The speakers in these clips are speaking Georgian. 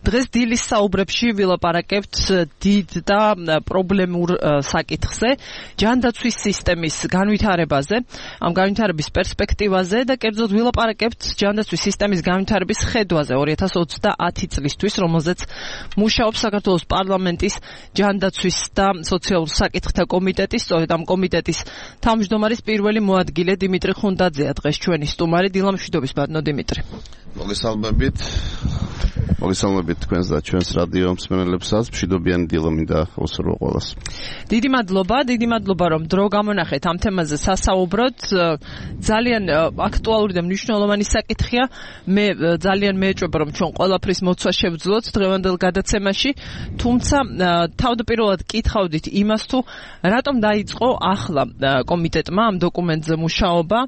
დღეს დილის საუბრებში ვილაპარაკებთ დიდ და პრობლემურ საკითხზე, ჯანდაცვის სისტემის განვითარებაზე, ამ განვითარების პერსპექტივაზე და კერძოდ ვილაპარაკებთ ჯანდაცვის სისტემის განვითარების ხედვაზე 2030 წლისთვის, რომელზეც მუშაობს საქართველოს პარლამენტის ჯანდაცვის და სოციალურ საკითხთა კომიტეტი, სწორედ ამ კომიტეტის თავმჯდომარის პირველი მოადგილე დიმიტრი ხუნდაძეა დღეს ჩვენი სტუმარი. დილამშვიდობის ბატონო დიმიტრი. მოგესალმებით თქვენს და ჩვენს რადიო მსმენელებსაც. მშვიდობიანი დილა მინდა უსურვო ყველას. დიდი მადლობა რომ დრო გამონახეთ ამ თემაზე სასაუბროთ. ძალიან აქტუალური და მნიშვნელოვანი საკითხია. მე ძალიან მეეჭვება რომ ჩვენ ყველაფრის მოცვა შევძლოთ დღევანდელ გადაცემაში, თუმცა თავდაპირველად კითხავდით იმას თუ რატომ დაიწყო ახლა კომიტეტმა ამ დოკუმენტზე მუშაობა,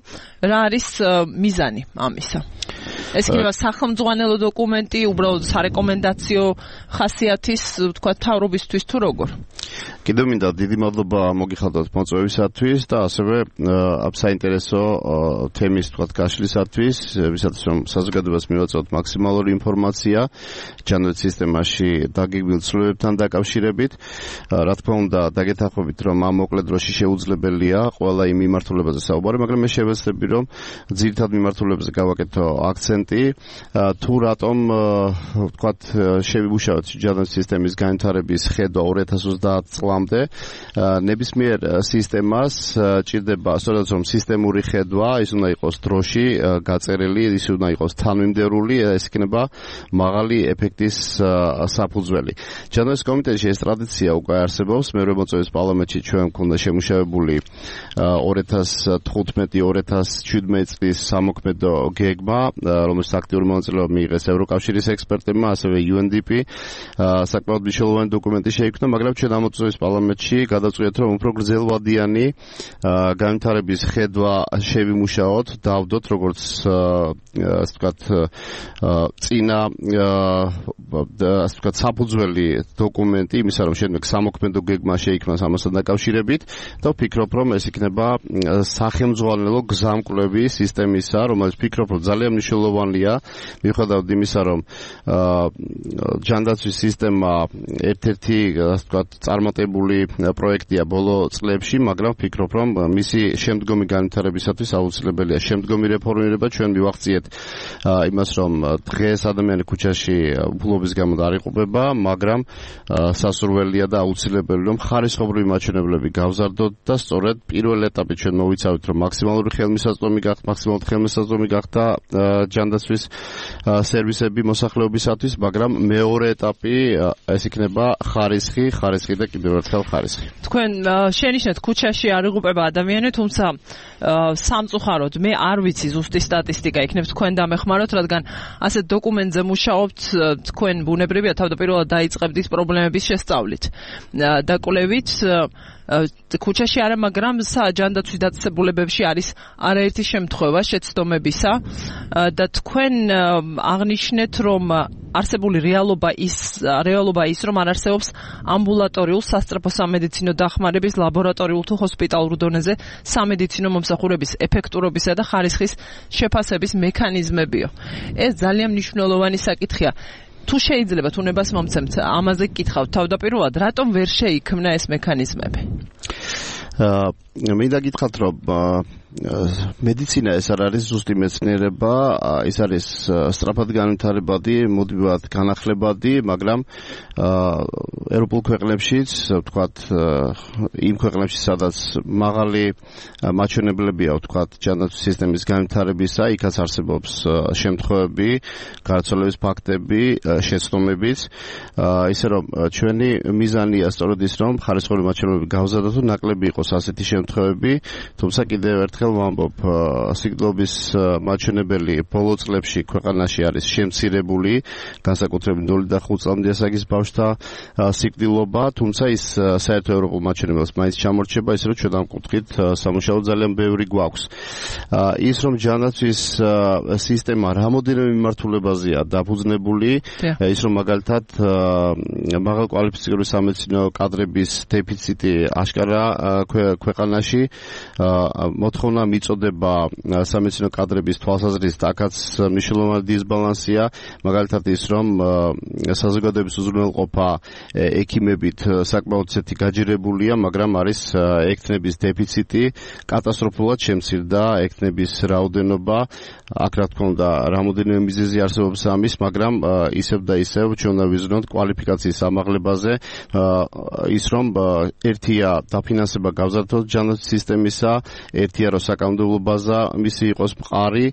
რა არის მიზანი ამისა? ეს იქნება სახელმძღვანელო დოკუმენტი, უბრალოდ სარეკომენდაციო ხასიათის, თქვა, თავრობისთვის თუ როგორ? კიდევ მინდა დიდი მადლობა მოგიხადოთ მოწვევისათვის და ასევე ამ საინტერესო თემის, თქვა, გაშლისათვის, ვისაც რომ საზოგადოებას მივაწვდოთ მაქსიმალური ინფორმაცია ჯანდაცვის სისტემაში დაგეგმილ ცვლილებებთან დაკავშირებით. რა თქმა უნდა, დაგეთანხმებით, რომ ამ მოკლე დროში შეუძლებელია ყველა იმ მიმართულებაზე საუბარი, მაგრამ მე შევეცდები, რომ ძირითად მიმართულებებზე გავაკეთო აქცენტი, თუ რატომ, ვთქვათ, შევიმუშავოთ ჯანდაცვის სისტემის განვითარების ხედვა 2030 წლამდე. ნებისმიერ სისტემას ჭირდება, სწორედ რომ სისტემური ხედვა, ის უნდა იყოს დროში გაწერილი, ის უნდა იყოს თანმიმდევრული, ეს იქნება მაღალი ეფექტის საფუძველი. ჯანდაცვის კომიტეტში ეს ტრადიცია უკვე არსებობს. მერვე მოწვევის პარლამენტში ჩვენ გვქონდა შემუშავებული 2015-2017 წლის სამოქმედო გეგმა, რომელშიც აქტიური მონაწილეობა მიიღეს ევროკავშირის ექსპერტებმა, ასევე UNDP. საკმაოდ მნიშვნელოვანი დოკუმენტი შეიქმნა, მაგრამ ჩვენ ამ მოწვევის პარლამენტში გადავწყვიტეთ, რომ უფრო გრძელვადიანი განვითარების ხედვა შევიმუშაოთ, დავდოთ როგორც ასე ვთქვათ წინა ასე ვთქვათ საფუძველი დოკუმენტი იმისა, რომ შემდეგ სამოქმედო გეგმა შეიქმნას ამასთან დაკავშირებით და ვფიქრობ, რომ ეს იქნება სახელმძღვანელო გზამკვლევი სისტემისა, რომელიც ვფიქრობ, რომ ძალიან მნიშვნელოვანია, მიუხედავად იმისა, რომ ჯანდაცვის სისტემა ერთ-ერთი ასე ვთქვათ წარმატებული პროექტია ბოლო წლებში, მაგრამ ვფიქრობ, რომ მისი შემდგომი განვითარებისათვის აუცილებელია შემდგომი რეფორმირება. ჩვენ მივახციეთ იმას, რომ დღეს ადამიანი ქუჩაში უფლობის გამო არ იყოფება, მაგრამ სასურველია და აუცილებელი, რომ ხარისხობრივი მაჩვენებლები გავზარდოთ და სწორედ პირველ ეტაპში ჩვენ მოვიცავით, რომ მაქსიმალური ხელმისაწვდომი გახდა ჯანდაცვის სერვისები მოსახლეობისათვის, მაგრამ მეორე ეტაპი ეს იქნება ხარისხი და კიდევ ერთხელ ხარისხი. თქვენ შენიშნეთ ქუჩაში არ იღუპება ადამიანი, თუმცა სამწუხაროდ მე არ ვიცი ზუსტი სტატისტიკა, იქნებ თქვენ დამეხმაროთ, რადგან ასეთ დოკუმენტზე მუშაობთ, თქვენ ბუნებრივია თავდაპირველად დაიწყებთ ის პრობლემების შესწავლით და კვლევით. ქუჩაში არა, მაგრამ ჯანდაცვის დაწესებულებებში არის არაერთი შემთხვევა შეცდომებისა და თქვენ აღნიშნეთ, რომ არსებული რეალობა ის, რომ არ არსებობს ამბულატორიულ სასწრაფო სამედიცინო დახმარების ლაბორატორიულ თუ ჰოსპიტალურ დონეზე სამედიცინო მომსახურების ეფექტურობისა და ხარისხის შეფასების მექანიზმებიო. ეს ძალიან მნიშვნელოვანი საკითხია. თუ შეიძლება უნებას მომცემთ ამაზე გკითხავთ თავდაპირველად, რატომ ვერ შეიქმნა ეს მექანიზმები? მინდა გითხრათ, რომ მედიცინა ეს არ არის ზუსტი მეცნიერება, ის არის სწრაფად განვითარებადი, მუდმივად განახლებადი, მაგრამ ევროპულ ქვეყნებშიც, ვთქვათ, იმ ქვეყნებში, სადაც მაღალი მაჩვენებლებია, ვთქვათ, ჯანდაცვის სისტემის განვითარებისა, იქაც არსებობს შემთხვევები, გარდაცვალების ფაქტები, შეცდომებიც, ისე რომ ჩვენი მიზანია სწორედ ის, რომ ხარისხობრივი მაჩვენებლები გავზარდოთ და ნაკლები იყოს ასეთი შემთხვევები, თუმცა კიდევ ერთხელ ვამბობ, სიკვდილობის მაჩვენებელი ბოლო წლებში ქვეყანაში არის შემცირებული, განსაკუთრებით 0-5 წლამდე ასაკის ბავშვთა სიკვდილობა, თუმცა ის საერთო ევროპულ მაჩვენებელს მაინც ჩამორჩება, ისე რომ ჩვენ ამ კუთხით სამუშაო ძალიან ბევრი გვაქვს. ის რომ ჯანდაცვის სისტემა რამოდენიმე მიმართულებაზეა დაფუძნებული, ის რომ მაგალითად მაღალკვალიფიციური სამედიცინო კადრების დეფიციტი აშკარა ქვეყანა ქვეყანაში მოთხოვნა მიწოდება სამედიცინო კადრების თვალსაზრისით აქაც მნიშვნელოვანი დისბალანსია მაგალითად ის რომ საზოგადოების უზრუნველყოფა ექიმებით საკმაოდ ისეთი გაჯერებულია მაგრამ არის ექთნების დეფიციტი კატასტროფულად შემცირდა ექთნების რაოდენობა აქ რა თქმა უნდა რამოდენიმე მიზეზი არსებობს ამის მაგრამ ისევ და ისევ ჩვენ უნდა ვიზრუნოთ კვალიფიკაციის ამაღლებაზე ის რომ ერთია დაფინანსება გავზარდოთ ჯანდაცვის სისტემისა ერთია რომ საკანონმდებლო ბაზა მისი იყოს მყარი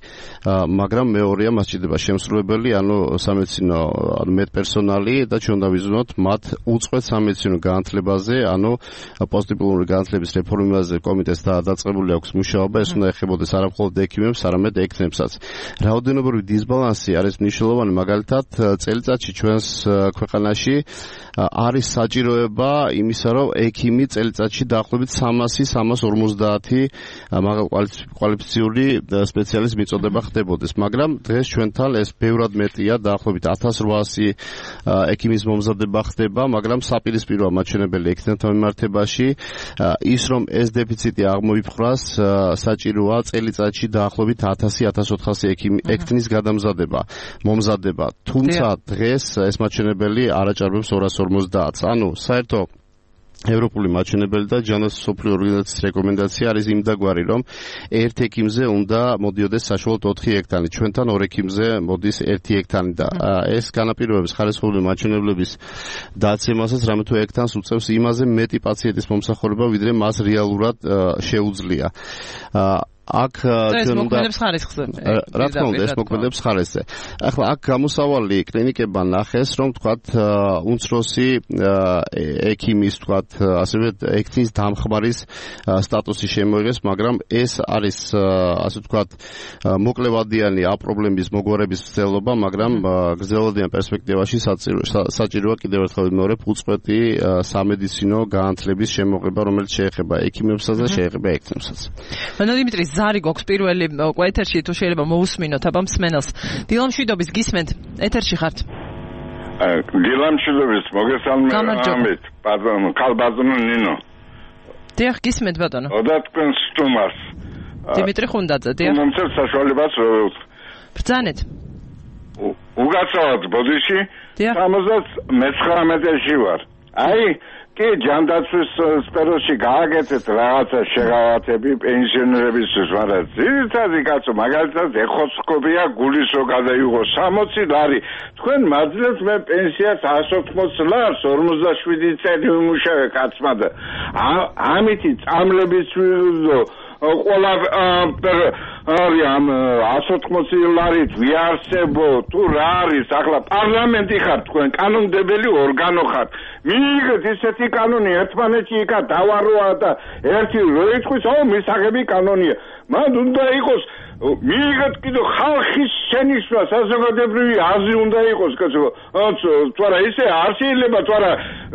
მაგრამ მეორეა მას ჭირდება შემსრულებელი ანუ სამედიცინო მედპერსონალი და ჩვენ უნდა ვიზრუნოთ მათ უწყვეტ სამედიცინო განათლებაზე ანუ პოსტდიპლომური განათლების რეფორმაზე კომიტეტს დაწყებული აქვს მუშაობა ეს უნდა ეხებოდეს არა მხოლოდ ექიმებს არამედ ექთნებსაც რაოდენობრივი დისბალანსი არის მნიშვნელოვანი მაგალითად წელიწადში ჩვენს ქვეყანაში არის საჭიროება იმისა რომ ექიმი წელიწადში დაახლოებით 300-350 მაღალკვალიფიციური სპეციალისტის მიწოდება ხდებოდეს მაგრამ დღეს ჩვენთან ეს ბევრად მეტია დაახლოებით 1800 ექიმის მომზადება ხდება მაგრამ საპირისპიროა მაჩვენებელი ექიმთა მიმართებაში ის რომ ეს დეფიციტი აღმოიფხვრას საჭიროა წელიწადში დაახლოებით 1000-1400 ექიმის მომზადება თუმცა დღეს ეს მაჩვენებელი არ აჭარბებს 250-ს ანუ საერთო ევროპული მაჩვენებელი და ჯანდაცვის მსოფლიო ორგანიზაციის რეკომენდაცია არის იმდაგვარი რომ ერთ ექიმზე უნდა მოდიოდეს საშუალოდ 4 ექთანი ჩვენთან 2 ექიმზე მოდის 1 ექთანი და ეს განაპირობებს ხარისხოვანი მაჩვენებლების დაცემასაც რამე თუ ექთანს უწევს იმაზე მეტი პაციენტის მომსახურება ვიდრე მას რეალურად შეუძლია აქ ჩვენ მოქმედებს ხარისხზე. რა თქმა უნდა, ეს მოქმედებს ხარისხზე. ახლა აქ გამოსავალი კლინიკებმა ნახეს, რომ თქვათ უმცროსი ექიმის თქვათ ასევე ექთნის დამხმარის სტატუსი შემოიღეს, მაგრამ ეს არის ასე თქვათ მოკლევადიანი აპრობლემის მოგვარების მცდელობა, მაგრამ გრძელვადიან პერსპექტივაში საჭიროა კიდევ ერთხელ ვიმეორებ უწყვეტი სამედიცინო განათლების შემოღება, რომელიც შეეხება ექიმებსაც და შეეხება ექთნებსაც. დიმიტრი ზარი გვაქვს პირველი ეთერში თუ შეიძლება მოусმინოთ აბა მსმენელს დილამშვიდობის გისმენთ ეთერში ხართ დილამშვიდობის მოგესალმებით ბატონო ქალბატონო ნინო დიახ გისმენთ ბატონო ოდა თქვენ სტუმარს დიმიტრი ხუნდაძე დიახ მომცემ საშუალებას ბრძანეთ უგაცავად ბოდიში 79-ში ვარ აი კი ჯანდაცვის სფეროში გააკეთეთ რაღაცა შეღავათები პენსიონერებისთვის, მაგრამ ძირითადი კაცო მაგალითად ეხოცკობია გულის რო გადაიღო 60 ლარი. თქვენ მაძლევთ მე პენსიას 180 ლარს 47 წელი ვიმუშავე კაცმა და ამითი წამლების ვიღო ყველა ამ 180 ლარით ვიარსებო თუ რა არის ახლა პარლამენტი ხარ თქვენ კანონმდებელი ორგანო ხარ მიიღეთ ისეთი კანონი ერთმანეთში იქა დავაროა და ერთი რო იტყვის მისაღები კანონია მან უნდა იყოს მიიღეთ კიდევ ხალხის შენიშვნა საზოგადოებრივი აზრი უნდა იყოს კაცო თუ არა ისე არ შეიძლება თუ არა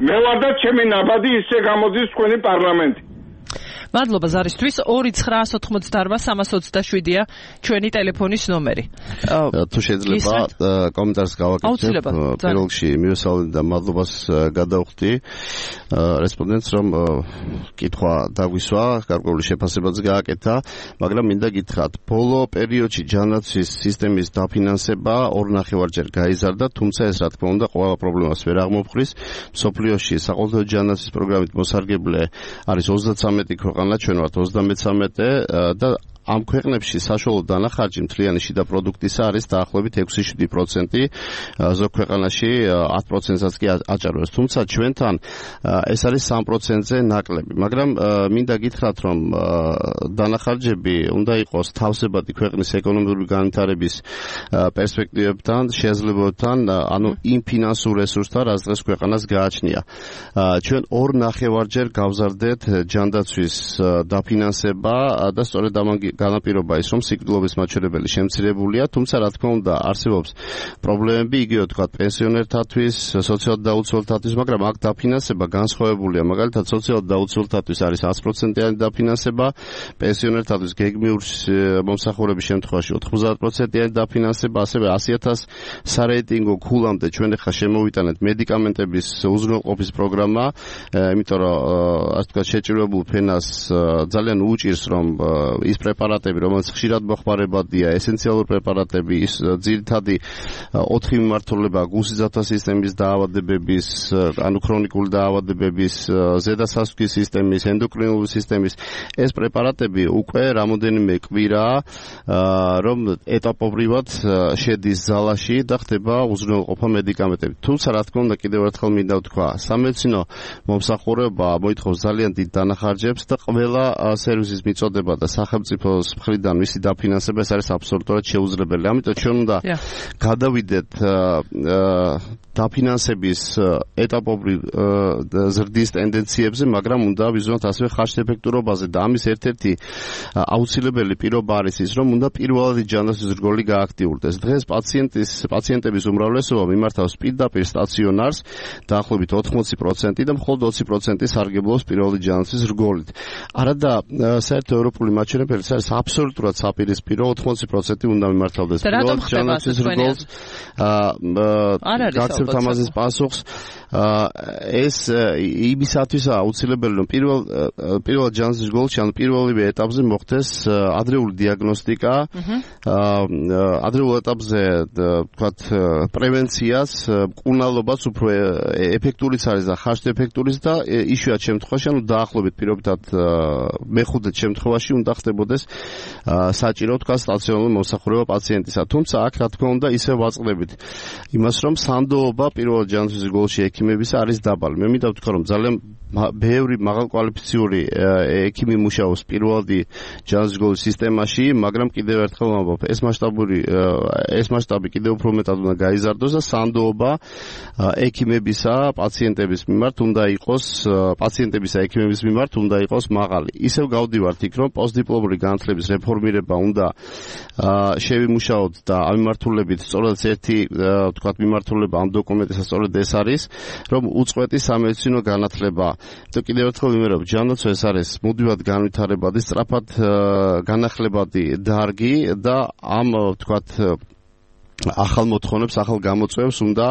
მე ვარ და ჩემი ნაბადი ისე გამოდის თქვენი პარლამენტი მადლობა ზარისთვის 2-988-327-ია ჩვენი ტელეფონის ნომერი. თუ შეიძლება კომენტარს გავაკეთებ პირველ რიგში მივესალმები და მადლობას გადავხდი რესპონდენტს რომ კითხვა დაგვისვა გარკვეული შეფასებაც გააკეთა მაგრამ მინდა გითხრათ ბოლო პერიოდში ჯანდაცვის სისტემის დაფინანსება 2.5-ჯერ გაიზარდა თუმცა ეს რა თქმა უნდა ყველა პრობლემას ვერ აღმოფხრის მსოფლიოში საყოველთაო ჯანდაცვის პროგრამით მოსარგებლე არის 33 ქვეყანა ჩვენ ვართ 33 და ამ ქვეყნებში საშუალო დანახარჯი მთლიანი შიდა პროდუქტისა არის დაახლოებით 6-7%, ზოგ ქვეყანაში 10%-საც კი აჭარბებს. თუმცა ჩვენთან ეს არის 3%-ზე ნაკლები, მაგრამ მინდა გითხრათ, რომ დანახარჯები უნდა იყოს თავსებადი ქვეყნის ეკონომიკური განვითარების პერსპექტივებთან, შესაძლებლობებთან, ანუ იმ ფინანსურ რესურსთან, რაც დღეს ქვეყანას გააჩნია. ჩვენ 2.5-ჯერ გავზარდეთ ჯანდაცვის დაფინანსება და სწორედ ამან განაპირობა ის, რომ სიკვდილობის მაჩვენებელი შემცირებულია, თუმცა რა თქმა უნდა არსებობს პრობლემები, იგივე თქვა პენსიონერთათვის, სოციალურად დაუცველთათვის, მაგრამ აქ დაფინანსება განსხვავებულია. მაგალითად, სოციალურად დაუცველთათვის არის 100%-იანი დაფინანსება, პენსიონერთათვის გეგმიურ მომსახურების შემთხვევაში 90%-იანი დაფინანსება, ასევე 100,000 სარეიტინგო ქულამდე ჩვენ ახლა შემოვიტანეთ მედიკამენტების უზრუნველყოფის პროგრამა, იმიტომ რომ ასე ვთქვათ შეჭირებულ ფენას ძალიან უჭირს, რომ ის პრეპარატები, რომელიც ხშირად მოხმარებადია, ესენციალური პრეპარატები, ის ძირითადი 4 მიმართულება გულსიძათვა სისტემის დაავადებების, ანუ ქრონიკული დაავადებების, ზედასასუქის სისტემის, ენდოკრინული სისტემის, ეს პრეპარატები უკვე რამოდენიმე კვირაა, რომ ეტაპობრივად შედის ზალაში და ხდება უზრუნველყოფა მედიკამენტები. თუმცა რა თქმა უნდა კიდევ ერთხელ მინდა ვთქვა, სამედიცინო მომსახურება მოითხოვს ძალიან დიდ დანახარჯებს და ყველა სერვისის მიწოდება და სახელმწიფოს მხრიდან მისი დაფინანსება ეს არის აბსოლუტურად შეუძლებელი. ამიტომ ჩვენ უნდა გადავიდეთ დაფინანსების ეტაპობრივ ზრდის ტენდენციებზე, მაგრამ უნდა ვიზუალოთ ასევე ხარჯეფექტურობაზე და ამის ერთ-ერთი აუცილებელი პირობა არის ის, რომ უნდა პირველადი ჯანდაცვის რგოლი გააქტიურდეს. დღეს პაციენტების უმრავლესობა მიმართავს პირდაპირ სტაციონარს, დაახლოებით 80% და მხოლოდ 20% სარგებლობს პირველადი ჯანდაცვის რგოლით. არადა საერთო ევროპული მაჩვენებელი არის აბსოლუტურად საპირისპირო, 80% უნდა მიმართავდეს პირველადი ჯანდაცვის რგოლს. გაცემთ ამაზეც პასუხს. ეს იმისათვის აუცილებელი, რომ პირველად ჯანდაცვის რგოლში, ანუ პირველივე ეტაპზე მოხდეს ადრეული დიაგნოსტიკა, ადრეულ ეტაპზე ვთქვათ პრევენციას, მკურნალობას უფრო ეფექტურიც არის და ხარჯეფექტურიც და იშვიათ შემთხვევაში, ანუ დაახლოებით პირობითად მეხუთე შემთხვევაში უნდა ხდებოდეს საჭირო ვთქვათ სტაციონარული მომსახურება პაციენტისა. თუმცა აქ რა თქმა უნდა ისევ ვაწყდებით იმას, რომ სანდოობა პირველად ჯანდაცვის რგოლში ექიმებისა არის დაბალი. მე მინდა ვთქვა, რომ ძალიან ბევრი მაღალკვალიფიციური ექიმი მუშაობს პირველადი ჯანდაცვის რგოლის სისტემაში, მაგრამ კიდევ ერთხელ ვამბობ, ეს მასშტაბი კიდევ უფრო მეტად უნდა გაიზარდოს და სანდოობა ექიმებისა, პაციენტების მიმართ უნდა იყოს, პაციენტებისა ექიმების მიმართ უნდა იყოს მაღალი. ისევ გავდივართ იქ, რომ პოსტდიპლომური განათლების რეფორმირება უნდა შევიმუშაოთ და ამ მიმართულებით სწორედ ერთი ვთქვათ მიმართულება ამ დოკუმენტისა სწორედ ეს არის, რომ უწყვეტი სამედიცინო განათლება. და კიდევ ერთხელ ვიმეორებ, ჯანდაცვა ეს არის მუდმივად განვითარებადი, სწრაფად განახლებადი დარგი და ამ ვთქვათ ახალ მოთხოვნებს, ახალ გამოწვევებს უნდა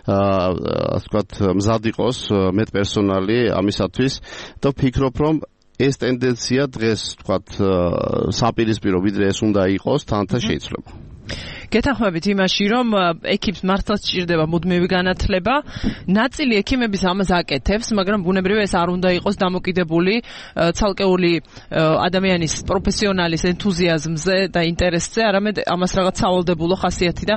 ვთქვათ მზად იყოს მეტპერსონალი ამისათვის და ვფიქრობ, რომ ეს ტენდენცია დღეს ვთქვათ საპირისპირო ვიდრე ეს უნდა იყოს, თანათან შეიძლება. გეთანხმებით იმაში, რომ ექიმს მართლაც სჭირდება მუდმივი განათლება. ნაწილი ექიმების ამას აკეთებს, მაგრამ ბუნებრივია ეს არ უნდა იყოს დამოკიდებული ცალკეული ადამიანის პროფესიონალის ენთუზიაზმზე და ინტერესზე, არამედ ამას რაღაც სავალდებულო ხასიათი და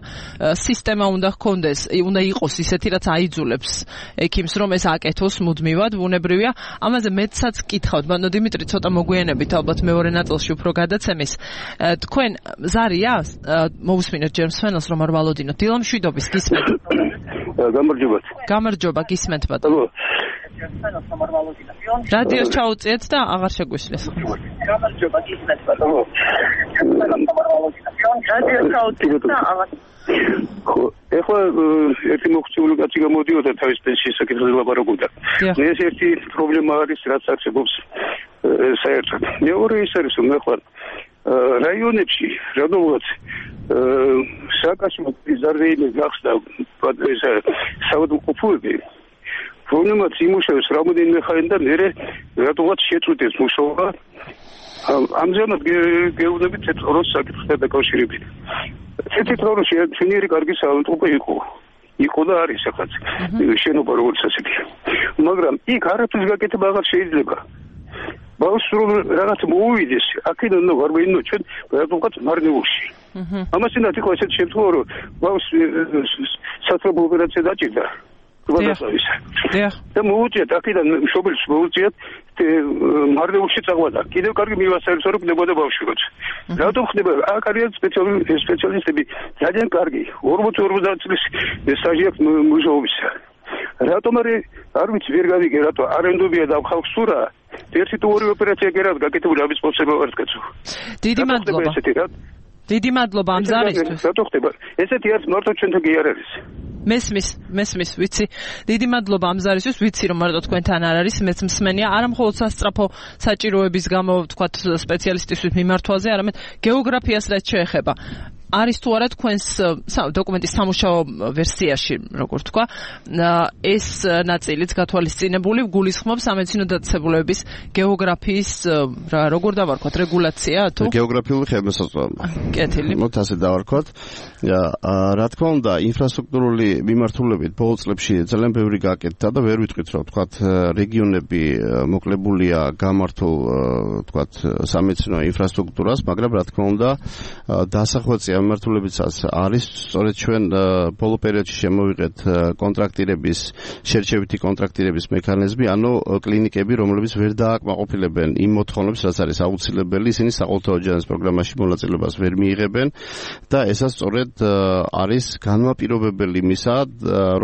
სისტემა უნდა ჰქონდეს, უნდა იყოს ისეთი, რაც აიძულებს ექიმს, რომ ეს აკეთოს მუდმივად, ბუნებრივია. ამაზე მეცაც გკითხავთ, ბატონო დიმიტრი, ცოტა მოგვიანებით ალბათ მეორე ნაწილში უფრო გადაცემის. თქვენ ზარია მოусმინეთ ჯერ მსმენელს რომ არ ვალოდინოთ. დილა მშვიდობის გისმენთ. გამარჯობა გისმენთ ბატონო. რადიოს ჩაუწიეთ და აღარ შეგვისმენთ. გამარჯობა გისმენთ ბატონო. რადიოს ჩაუწიეთ და აღარ ხო, ეხლა ერთი მოხუცებული კაცი გამოდიოდა თავის პენსიის საკითხზე ლაპარაკობდა. ეს ერთი პრობლემა არის, რაც არსებობს საერთოდ. მეორე ის არის, რომ ეხლა რაიონებში, რადგანაც სააკაშო ზარდეინე გახსდა საავადმყოფოები, რომლებიც იმუშავეს რამოდენიმე ხანი და მერე რატომაც შეწყვიტეს მუშაობა. ამჟამად გეუბნებით თეთროს საკითხთან დაკავშირებით. თეთროში ჩვენი კარგი საავადმყოფო იყო და არის ახაც შენობა როგორც ასეთი. მაგრამ იქ არაფრის გაკეთება აღარ შეიძლება. ბავშვს რომ რაღაც მოუვიდეს, აქედან ვარ ვინო ჩვენ რატომღაც მარნეულში. ამას უნდა თქო ესეთ შემთხვევა რომ ბავშვს საწყობო ოპერაცია დაჭირდა. და მოუწიათ აქედან მშობელს მოუწიათ მარნეულში წაღვადა. კიდევ კარგი მივასწავლეს რომ ვნებოდა ბავშვი როცა. რატომ ხდება? აქ არიან სპეციალისტები ძალიან კარგი 40-50 წლის სტაჟი აქვს მუშაობისა. რატომ არ ვიცი ვერ გავიგე რატო არენდობია და ხალხს სურა ერთი თუ ორი ოპერაცია კი რა გაკეთებული ამის პოსება ვარ კაცო. დიდი მადლობა ამ ზარისთვის. რატო ხდება? ესეთი არის მარტო ჩვენთან კი არ არის. მესმის, ვიცი. დიდი მადლობა ამ ზარისთვის, ვიცი რომ მარტო თქვენთან არ არის, მეც მსმენია, არა მხოლოდ სასწრაფო საჭიროების გამო, ვთქვათ, სპეციალისტისთვის მიმართვაზე, არამედ გეოგრაფიას რაც შეეხება. არის თუ არა თქვენს დოკუმენტის სამუშაო ვერსიაში, როგორ თქვა, ეს ნაწილიც გათვალისწინებული გულისხმობს სამედიცინო დაწესებულებების გეოგრაფიის, როგორ დავარქვათ, რეგულაცია თუ გეოგრაფიული ხელმისაწვდომობა. კეთილი. მოთ ასე დავარქვათ. რა თქმა უნდა, ინფრასტრუქტურული მიმართულებით ბოლო წლებში ძალიან ბევრი გაკეთდა და ვერ ვიტყვით, რომ თქვათ, რეგიონები მოკლებულია გამართულ, თქვათ, სამედიცინო ინფრასტრუქტურას, მაგრამ რა თქმა უნდა, დასახვეწი მიმართულებითაც არის სწორედ ჩვენ ბოლო პერიოდში შემოვიღეთ კონტრაქტირების შერჩევითი კონტრაქტირების მექანიზმი, ანუ კლინიკები, რომლებიც ვერ დააკმაყოფილებენ იმ მოთხოვნებს, რაც არის აუცილებელი, ისინი საყოველთაო ჯანმრთელობის პროგრამაში მონაწილეობას ვერ მიიღებენ და ესაც სწორედ არის განმაპირობებელი იმისა,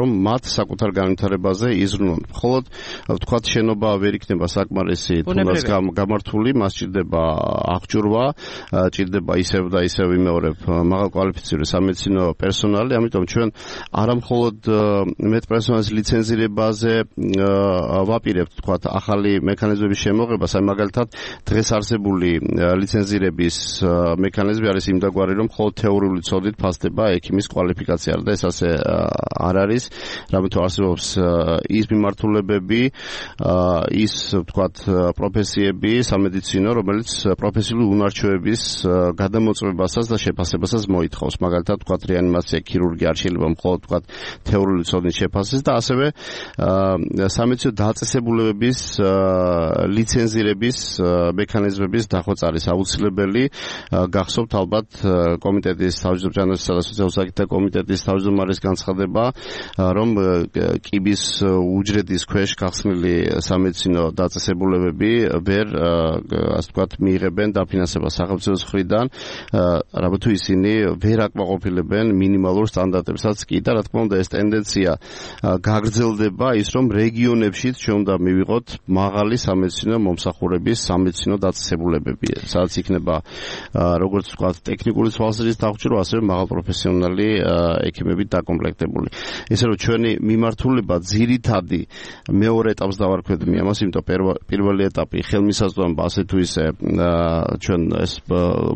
რომ მათ საკუთარ განვითარებაზე იზრუნონ. მხოლოდ ვთქვათ, შენობა ვერ იქნება საკმარისი თუნდაც გამართული, მას ჭირდება აღჭურვა, ჭირდება ისევ და ისევ იმეორებ მაღალკვალიფიციური სამედიცინო პერსონალი, ამიტომ ჩვენ არა მხოლოდ მედპერსონალის ლიცენზირებაზე ვაპირებთ, თქვათ, ახალი მექანიზმების შემოღებას, აი მაგალითად დღეს არსებული ლიცენზირების მექანიზმი არის იმდაგვარი, რომ მხოლოდ თეორიული ცოდით ფასდება ექიმის კვალიფიკაცია და ეს ასე არ არის, რამეთო არსებობს ის მიმართულებები, ის, თქვათ, პროფესიები სამედიცინო, რომელიც პროფესიული უნარჩვევების გადამოწმებასაც და შეფასებასაც მოითხოვს, მაგალითად, თქვათ, რეანიმაცია, ქირურგია არ შეიძლება მხოლოდ, თქვათ, თეორიული ცოდნის შეფასებას და ასევე სამედიცინო დაწესებულებების ლიცენზირების მექანიზმების დახვეწა არის აუცილებელი. გახსოვთ ალბათ კომიტეტის თავმჯდომარესა და სოციალურ საკითხთა კომიტეტის თავმჯდომარის განცხადება, რომ კიბის უჯრედის ქვეშ გახსნილი სამედიცინო დაწესებულებები ვერ, ასე ვთქვათ, მიიღებენ დაფინანსებას სახელმწიფოს მხრიდან, რაბა თუ ისინი ვერ აკმაყოფილებენ მინიმალურ სტანდარტებსაც კი და რა თქმა უნდა ეს ტენდენცია გაგრძელდება, ის რომ რეგიონებში ჩვენ უნდა მივიღოთ მაღალი სამედიცინო მომსახურების სამედიცინო დაწესებულებები, სადაც იქნება როგორც ვთქვათ ტექნიკური თვალსაზრისით აღჭურვა, ასევე მაღალპროფესიონალი ექიმებით დაკომპლექტებული. ისე რომ ჩვენი მიმართულება ძირითადი მეორე ეტაპს დავარქვეთ მე ამას, იმიტომ პირველი ეტაპი ხელმისაწვდომობა ასე თუ ისე ჩვენ ეს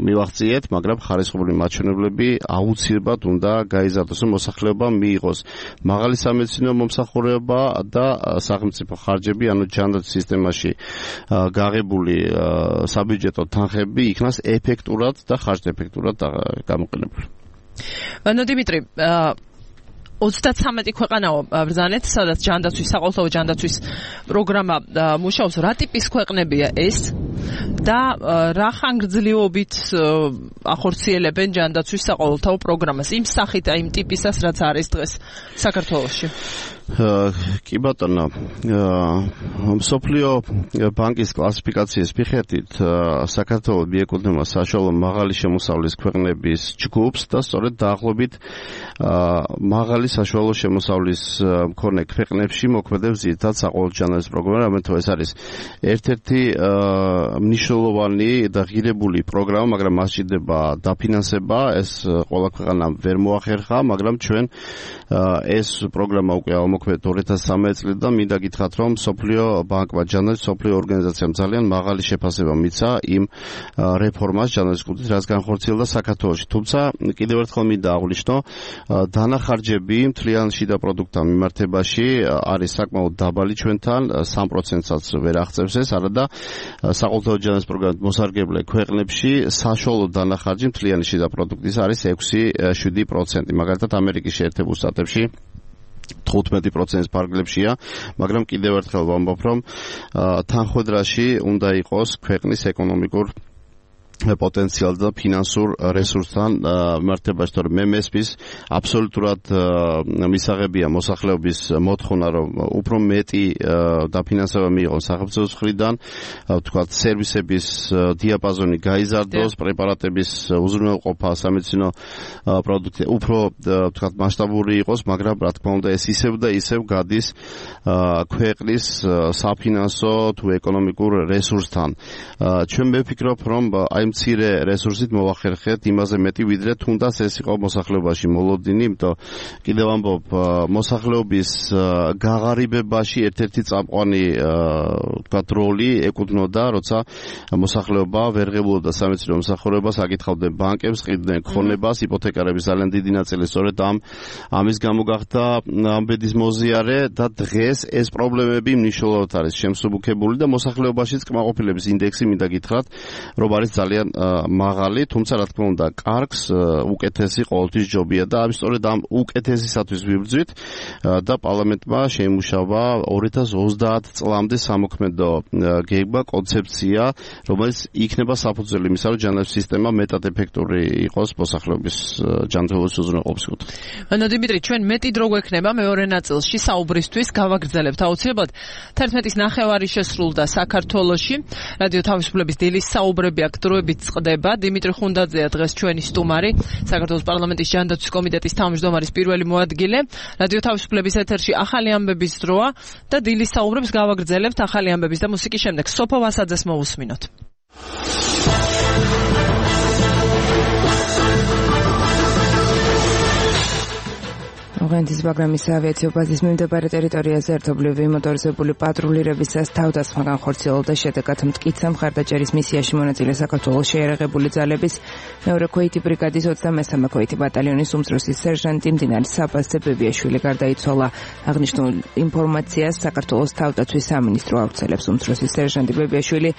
მივახციეთ, მაგრამ ხარისხობრივი მაჩვენებლები აუცილებლად უნდა გაიზარდოს, რომ მოსახლეობამ მიიღოს მაღალი სამედიცინო მომსახურება და სახელმწიფო ხარჯები, ანუ ჯანდაცვის სისტემაში გაღებული საბიუჯეტო თანხები იქნას ეფექტურად და ხარჯეფექტურად გამოყენებული. ანუ დიმიტრი, 33 ქვეყანაო ბრძანეთ, სადაც ჯანდაცვის, საყოველთაო ჯანდაცვის პროგრამა მუშაობს. რა ტიპის ქვეყნებია ეს და რა ხანგრძლივობით ახორციელებენ ჯანდაცვის საყოველთაო პროგრამას? იმ სახით, იმ ტიპისას, რაც არის დღეს საქართველოში. კი ბატონო, მსოფლიო ბანკის კლასიფიკაციის მიხედვით საქართველო მიეკუთვნება საშუალო მაღალი შემოსავლის ქვეყნების ჯგუფს და სწორედ დაახლოებით მაღალი საშუალო შემოსავლის მქონე ქვეყნებში მოქმედებს ძირითადად საყოველთაო ჯანდაცვის პროგრამა, რამეთო ეს არის ერთ-ერთი მნიშვნელოვანი და ღირებული პროგრამა, მაგრამ მას ჭირდება დაფინანსება, ეს ყველა ქვეყანამ ვერ მოახერხა, მაგრამ ჩვენ ეს პროგრამა უკვე მოქმედ 2013 წლიდან მინდა გითხრათ, რომ მსოფლიო ბანკმა ჯანდაცვის მსოფლიო ორგანიზაციამ ძალიან მაღალი შეფასება მიცა იმ რეფორმას ჯანდაცვის კუთხით, რაც განხორციელდა საქართველოში. თუმცა კიდევ ერთხელ მინდა აღვნიშნო, დანახარჯები მთლიან შიდა პროდუქტთან მიმართებაში არის საკმაოდ დაბალი ჩვენთან, 3%-საც ვერ აღწევს ეს, არადა საყოველთაო ჯანდაცვის პროგრამით მოსარგებლე ქვეყნებში საშუალო დანახარჯი მთლიანი შიდა პროდუქტის არის 6-7%. მაგალითად ამერიკის შეერთებულ შტატებში 15%-ის ფარგლებშია, მაგრამ კიდევ ერთხელ ვამბობ, რომ თანხმედრაში უნდა იყოს ქვეყნის ეკონომიკურ პოტენციალ და ფინანსურ რესურსთან მიმართებაში, თორემ მე მესმის აბსოლუტურად მისაღებია მოსახლეობის მოთხოვნა, რომ უფრო მეტი დაფინანსება მიიღოს სახელმწიფოს მხრიდან, ვთქვათ, სერვისების დიაპაზონი გაიზარდოს, პრეპარატების უზრუნველყოფა, სამედიცინო პროდუქტი უფრო ვთქვათ მასშტაბური იყოს, მაგრამ რა თქმა უნდა ეს ისევ და ისევ გადის ქვეყნის საფინანსო თუ ეკონომიკურ რესურსთან. ჩვენ მევფიქრობ, რომ აი მცირე რესურსით მოვახერხეთ იმაზე მეტი, ვიდრე თუნდაც ეს იყო მოსახლეობაში მოლოდინი, იმიტომ კიდევ ამბობ, მოსახლეობის გაღარიბებაში ერთ-ერთი წამყვანი ვთქვათ როლი ეკუთვნოდა, როცა მოსახლეობა ვერ ღებულობდა სამედიცინო მომსახურებას, აკითხავდნენ ბანკებს, ყიდდნენ ქონებას, იპოთეკარების ძალიან დიდი ნაწილი სწორედ ამის გამო გახდა ამ ბედის მოზიარე და დღეს ეს პრობლემები მნიშვნელოვნად არის შემსუბუქებული და მოსახლეობაშიც კმაყოფილების ინდექსი მინდა გითხრათ, რომ არის ძალიან მაღალი, თუმცა რა თქმა უნდა, კარგს უკეთესი ყოველთვის ჯობია და სწორედ ამ უკეთესისათვის ვიბრძვით და პარლამენტმა შეიმუშავა 2030 წლამდე სამოქმედო გეგმა, კონცეფცია, რომელიც იქნება საფუძველი იმისა, რომ ჯანდაცვის სისტემა მეტად ეფექტური იყოს მოსახლეობის ჯანმრთელობის უზრუნველყოფის კუთხით. დიმიტრი, ჩვენ მეტი დრო გვექნება მეორე ნაწილში საუბრისთვის, გავაგრძელებთ აუცილებლად. 11:09 შესრულდა საქართველოში. რადიო თავისუფლების დილის საუბრები აქ დროებით წყდება. დიმიტრი ხუნდაძეა დღეს ჩვენი სტუმარი, საქართველოს პარლამენტის ჯანდაცვის კომიტეტის თავმჯდომარის პირველი მოადგილე. რადიო თავისუფლების ეთერში ახალი ამბების დროა და დილის საუბრებს გავაგრძელებთ ახალი ამბების და მუსიკის შემდეგ. სოფო ვასაძეს მოვუსმინოთ. ოღონდის პროგრამის ავიაციო ბაზის მიმდებარე ტერიტორიაზე ერთობლივი მოტორიზებული პატრულირებისას თავდასხმა განხორციელდა, შედეგად მტკიცე მხარდაჭერის მისიაში მონაწილე საქართველოს შეიარაღებული ძალების მეორე ქვეითი ბრიგადის 23-მე ქვეითი ბატალიონის უმცროსი სერჟანტი მდინარის საბაზზე ბებიაშვილი გარდაიცვალა. აღნიშნულ ინფორმაციას საქართველოს თავდაცვის სამინისტრო ავრცელებს. უმცროსი სერჟანტი ბებიაშვილი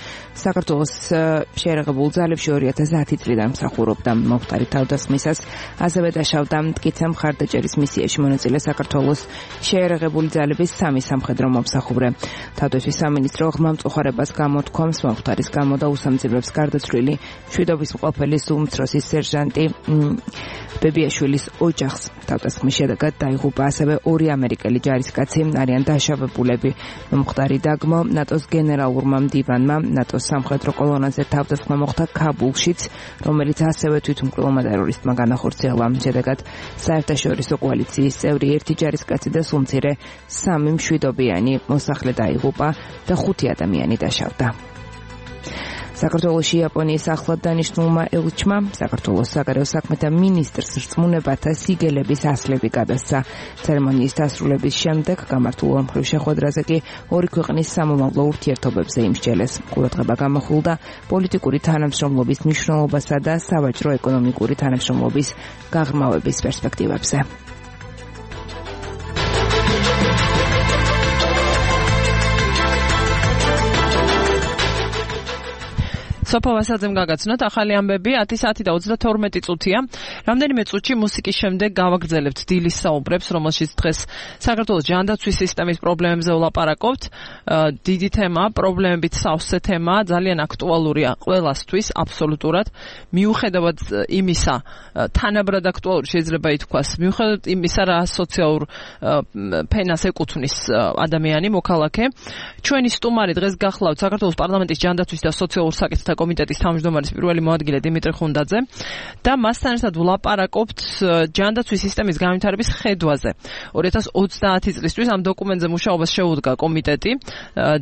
საქართველოს შეიარაღებულ ძალებში 2010 წლიდან მსახურობდა. მომხდარი თავდასხმისას ასევე დაშავდა მტკიცე მხარდაჭერის მისიაში მონაწილე საქართველოს შეიარაღებული ძალების 3 სამხედრო მომსახურე. თავდაცვის სამინისტრო ღრმამწუხარებას გამოთქვამს მომხდარის გამო და უსამძიმრებს გარდაცვლილი მშვიდობის მყოფელის უმცროსი სერჟანტი ბებიაშვილის ოჯახს. თავდასხმის შედეგად დაიღუპა ასევე 2 ამერიკელი ჯარისკაცი, არიან დაშავებულები. მომხდარი დაგმო ნატოს გენერალურმა მდივანმა ნატოს სამხედრო კოლონაზე თავდასხმა მოხდა ქაბულშიც, რომელიც ასევე თვითმკვლელმა ტერორისტმა განახორციელა. შედეგად საერთაშორისო კოალიციის წევრი 1 ჯარისკაცი და სულ მცირე 3 მშვიდობიანი მოსახლე დაიღუპა და 5 ადამიანი დაშავდა. საქართველოში იაპონიის ახლად დანიშნულმა ელჩმა საქართველოს საგარეო საქმეთა მინისტრს რწმუნებათა სიგელების ასლები გადასცა. ცერემონიის დასრულების შემდეგ გამართულ ორმხრივ შეხვედრაზე კი 2 ქვეყნის სამომავლო ურთიერთობებზე იმსჯელეს. ყურადღება გამოხულდა პოლიტიკური თანამშრომლობის მნიშვნელობასა და სავაჭრო-ეკონომიკური თანამშრომლობის გაღრმავების პერსპექტივებზე. სოფო ვასაძემ გაგაცნოთ ახალი ამბები 10 საათი და 32 წუთია. რამდენიმე წუთში მუსიკის შემდეგ გავაგრძელებთ დილის საუბრებს, რომელშიც დღეს საქართველოს ჯანდაცვის სისტემის პრობლემებზე ვლაპარაკობთ. დიდი თემა, პრობლემებით სავსე თემა, ძალიან აქტუალურია ყველასთვის, აბსოლუტურად. მიუხედავად იმისა, თანაბრად აქტუალური შეიძლება ითქვას, მიუხედავად იმისა, რა სოციალურ ფენას ეკუთვნის ადამიანი, მოქალაქე. ჩვენი სტუმარი დღეს გახლავთ საქართველოს პარლამენტის ჯანდაცვის და სოციალურ საკითხთა კომიტეტის თავმჯდომარის პირველი მოადგილე დიმიტრი ხუნდაძე და მასთან ერთად ვლაპარაკობთ ჯანდაცვის სისტემის განვითარების ხედვაზე. 2030 წლისთვის ამ დოკუმენტზე მუშაობას შეუდგა კომიტეტი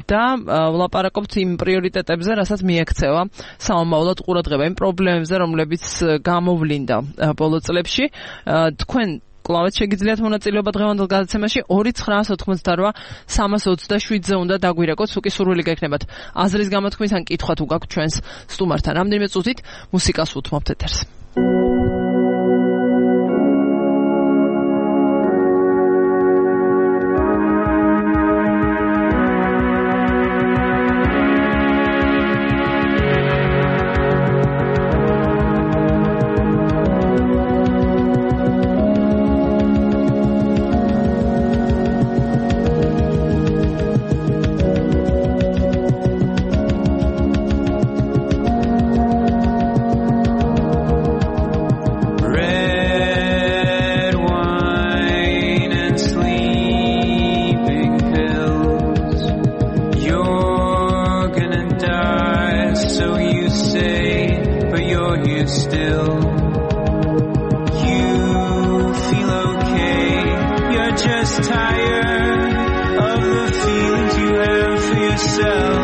და ვლაპარაკობთ იმ პრიორიტეტებზე, რასაც მიექცევა სამომავლოდ ყურადღება, იმ პრობლემებზე, რომლებიც გამოვლინდა ბოლო წლებში. თქვენ კლავეთ შეგიძლიათ მონაწილეობა დღევანდელ გადაცემაში 2988327-ზე უნდა დაგვირეკოთ, უკი სურვილი გექნებათ აზრის გამოთქმის ან კითხვა თუ გაქვთ ჩვენს სტუმართან. რამდენიმე წუთით მუსიკას უთმობთ ეთერს. tired of the feelings you have for yourself.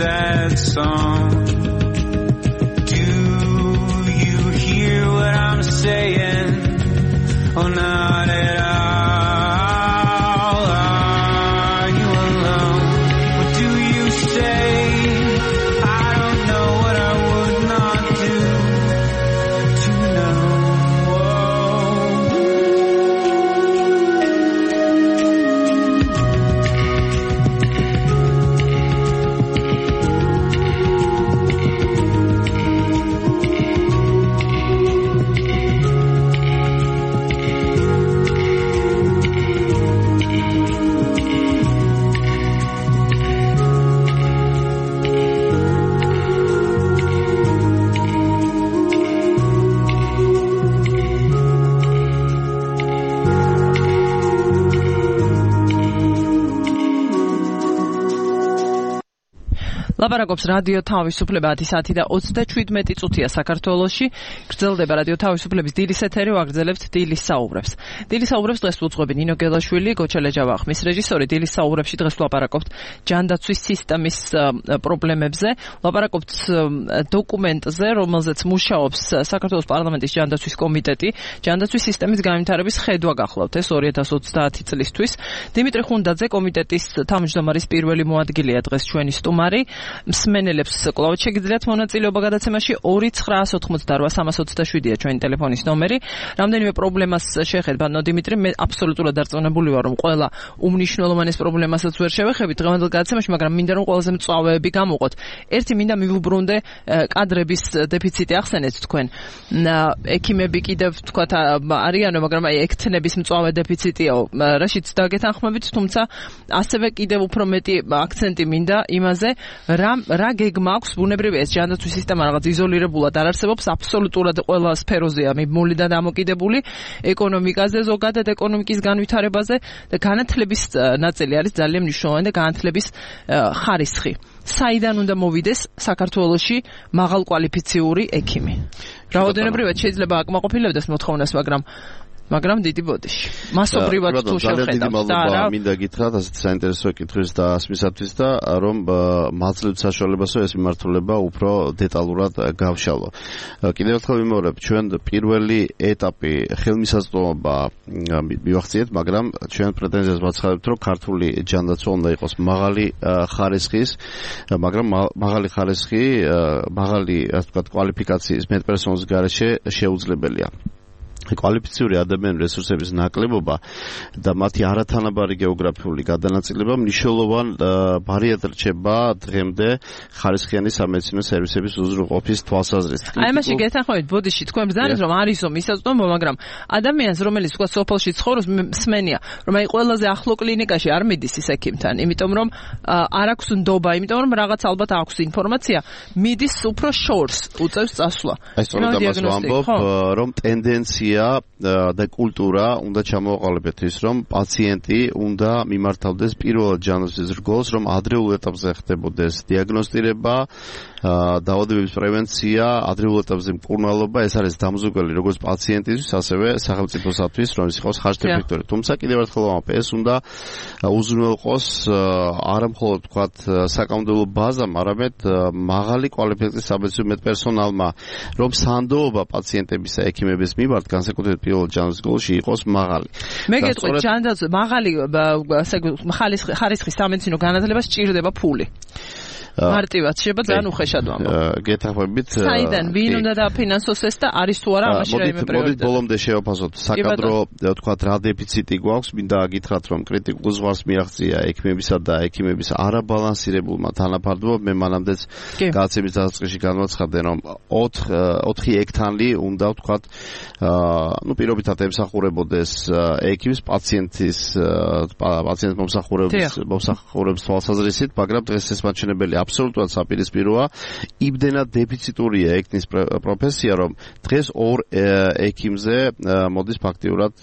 Sad song. Do you hear what I'm saying? Oh, not at all. Are you alone? What do you say? I don't know what I would not do to know. ლაპარაკობს რადიო თავისუფლება 10 საათი და 37 წუთია საქართველოში. გრძელდება რადიო თავისუფლების დილის ეთერი, ვაგრძელებთ დილის საუბრებს. დილის საუბრებს დღეს უძღვები ნინო გელაშვილი, გოჩელეჯავა ხმის რეჟისორი. დილის საუბრებში დღეს ლაპარაკობთ ჯანდაცვის სისტემის პრობლემებზე, ლაპარაკობთ დოკუმენტზე, რომელზეც მუშაობს საქართველოს პარლამენტის ჯანდაცვის კომიტეტი. ჯანდაცვის სისტემის განვითარების ხედვა გახლავთ ეს 2030 წლისთვის. დიმიტრი ხუნდაძე კომიტეტის თავმჯდომარის პირველი მოადგილეა დღეს ჩვენი სტუმარი. მსმენელებს კვლავ შეგიძლიათ მონაწილეობა გადაცემაში 2988327-ია ჩვენი ტელეფონის ნომერი. რამდენიმე პრობლემას შეხედა დიმიტრი, მე აბსოლუტურად დარწმუნებული ვარ, რომ ყველა უმნიშვნელოვანეს პრობლემასაც ვერ შევეხებით დღევანდელ გადაცემაში, მაგრამ მინდა რომ ყველაზე მწვავეები გამოვყოთ. ერთი მინდა მივუბრუნდე კადრების დეფიციტი ახსენეთ თქვენ. ექიმები კიდევ თქვათ არიანო, მაგრამ აი ექთნების მწვავე დეფიციტიაო, რაშიც დაგეთანხმებით, თუმცა ასევე კიდევ უფრო მეტი აქცენტი მინდა იმაზე, რა გეგმა აქვს ბუნებრივი ეს ჯანდაცვის სისტემა რაღაც იზოლირებულად არ არსებობს, აბსოლუტურად ყველა სფეროზეა მიმული და დამოკიდებული, ეკონომიკაზე, ზოგადად ეკონომიკის განვითარებაზე და განათლების ნაწილი არის ძალიან მნიშვნელოვანი და განათლების ხარისხი. საიდან უნდა მოვიდეს საქართველოში მაღალკვალიფიციური ექიმი? რაოდენობრივად შეიძლება აკმაყოფილებდეს მოთხოვნას, მაგრამ დიდი ბოდიში. მასობრივად თუ შევხედავთ და რა მინდა გითხრათ ასეთ საინტერესო კითხვის და ასმისათვის და რომ მაძლევთ საშუალებასო ეს მიმართულება უფრო დეტალურად გავშალო. კიდევ ერთხელ ვიმეორებ, ჩვენ პირველი ეტაპი ხელმისაწვდომობა მივახციეთ, მაგრამ ჩვენ პრეტენზიას ვაცხადებთ, რომ ქართული ჯანდაცვა უნდა იყოს მაღალი ხარისხის, მაგრამ მაღალი ხარისხი, მაღალი ასე ვთქვათ კვალიფიკაციის მეტპერსონალის გარეშე შეუძლებელია. კვალიფიციური ადამიანური რესურსების ნაკლებობა და მათი არათანაბარი გეოგრაფიული გადანაწილება მნიშვნელოვან ბარიერად რჩება დღემდე ხარისხიანი სამედიცინო სერვისების უზრუნველყოფის თვალსაზრისით. აი მაშინ გეთანხმებით ბოდიში თქვენ ბრძანეთ რომ არისო მისაწვდომო, მაგრამ ადამიანს რომელიც თქვა სოფელში ცხოვრობს მსმენია რომ აი ყველაზე ახლო კლინიკაში არ მიდის ის ექიმთან, იმიტომ რომ არ აქვს ნდობა, იმიტომ რომ რაღაც ალბათ აქვს ინფორმაცია, მიდის უფრო შორს უწევს წასვლა. აი სწორედ ამას ვამბობ, რომ ტენდენცია და კულტურა უნდა ჩამოაყალიბეთ ის, რომ პაციენტი უნდა მიმართავდეს პირველად ჯანმრთელობის რგოლს, რომ ადრეულ ეტაპზე ხდებოდეს დიაგნოსტირება, დაავადებების პრევენცია, ადრეულ ეტაპზე მკურნალობა, ეს არის დამზუგებელი როგორც პაციენტისთვის, ასევე სახელმწიფოსათვის, რომ ის იყოს ხარჯთებითი. თუმცა კიდევ ერთხელ ვამბობ, ეს უნდა უზრუნველყოს არა მხოლოდ ვთქვათ საკანონმდებლო ბაზამ, არამედ მაღალი კვალიფიკაციის სამედიცინო მედპერსონალმა, რომ სანდოობა პაციენტების და ექიმების მიმართ განსაკუთრებით პირველ ჯანმრთელობაში იყოს მაღალი. მე გეტყვით, ჯანდაცვა მაღალი ხარისხის სამედიცინო განათლება სჭირდება ფული. მარტივად შეიძლება ძალიან უხეშად ვამბობ. გეთანხმებით. საიდან ვინ უნდა დაფინანსოს ეს და არის თუ არა ამაში რაიმე პრიორიტეტი? მოდით ბოლომდე შევაფასოთ. საკადრო თქვათ რა დეფიციტი გვაქვს, მინდა გითხრათ რომ კრიტიკულ ზღვარს მიაღწია ექიმებისა და ექიმების არაბალანსირებულმა თანაფარდობამ. მე მანამდეც გადაცემის დასაწყისში განვაცხადე რომ 4 ექთანი უნდა თქვათ პირობითად ემსახურებოდეს ექიმის პაციენტის მომსახურების თვალსაზრისით, მაგრამ დღეს ეს მაჩვენებელი აბსოლუტურად საპირისპიროა. იმდენად დეფიციტურია ექიმის პროფესია, რომ დღეს 2 ექიმზე მოდის ფაქტიურად,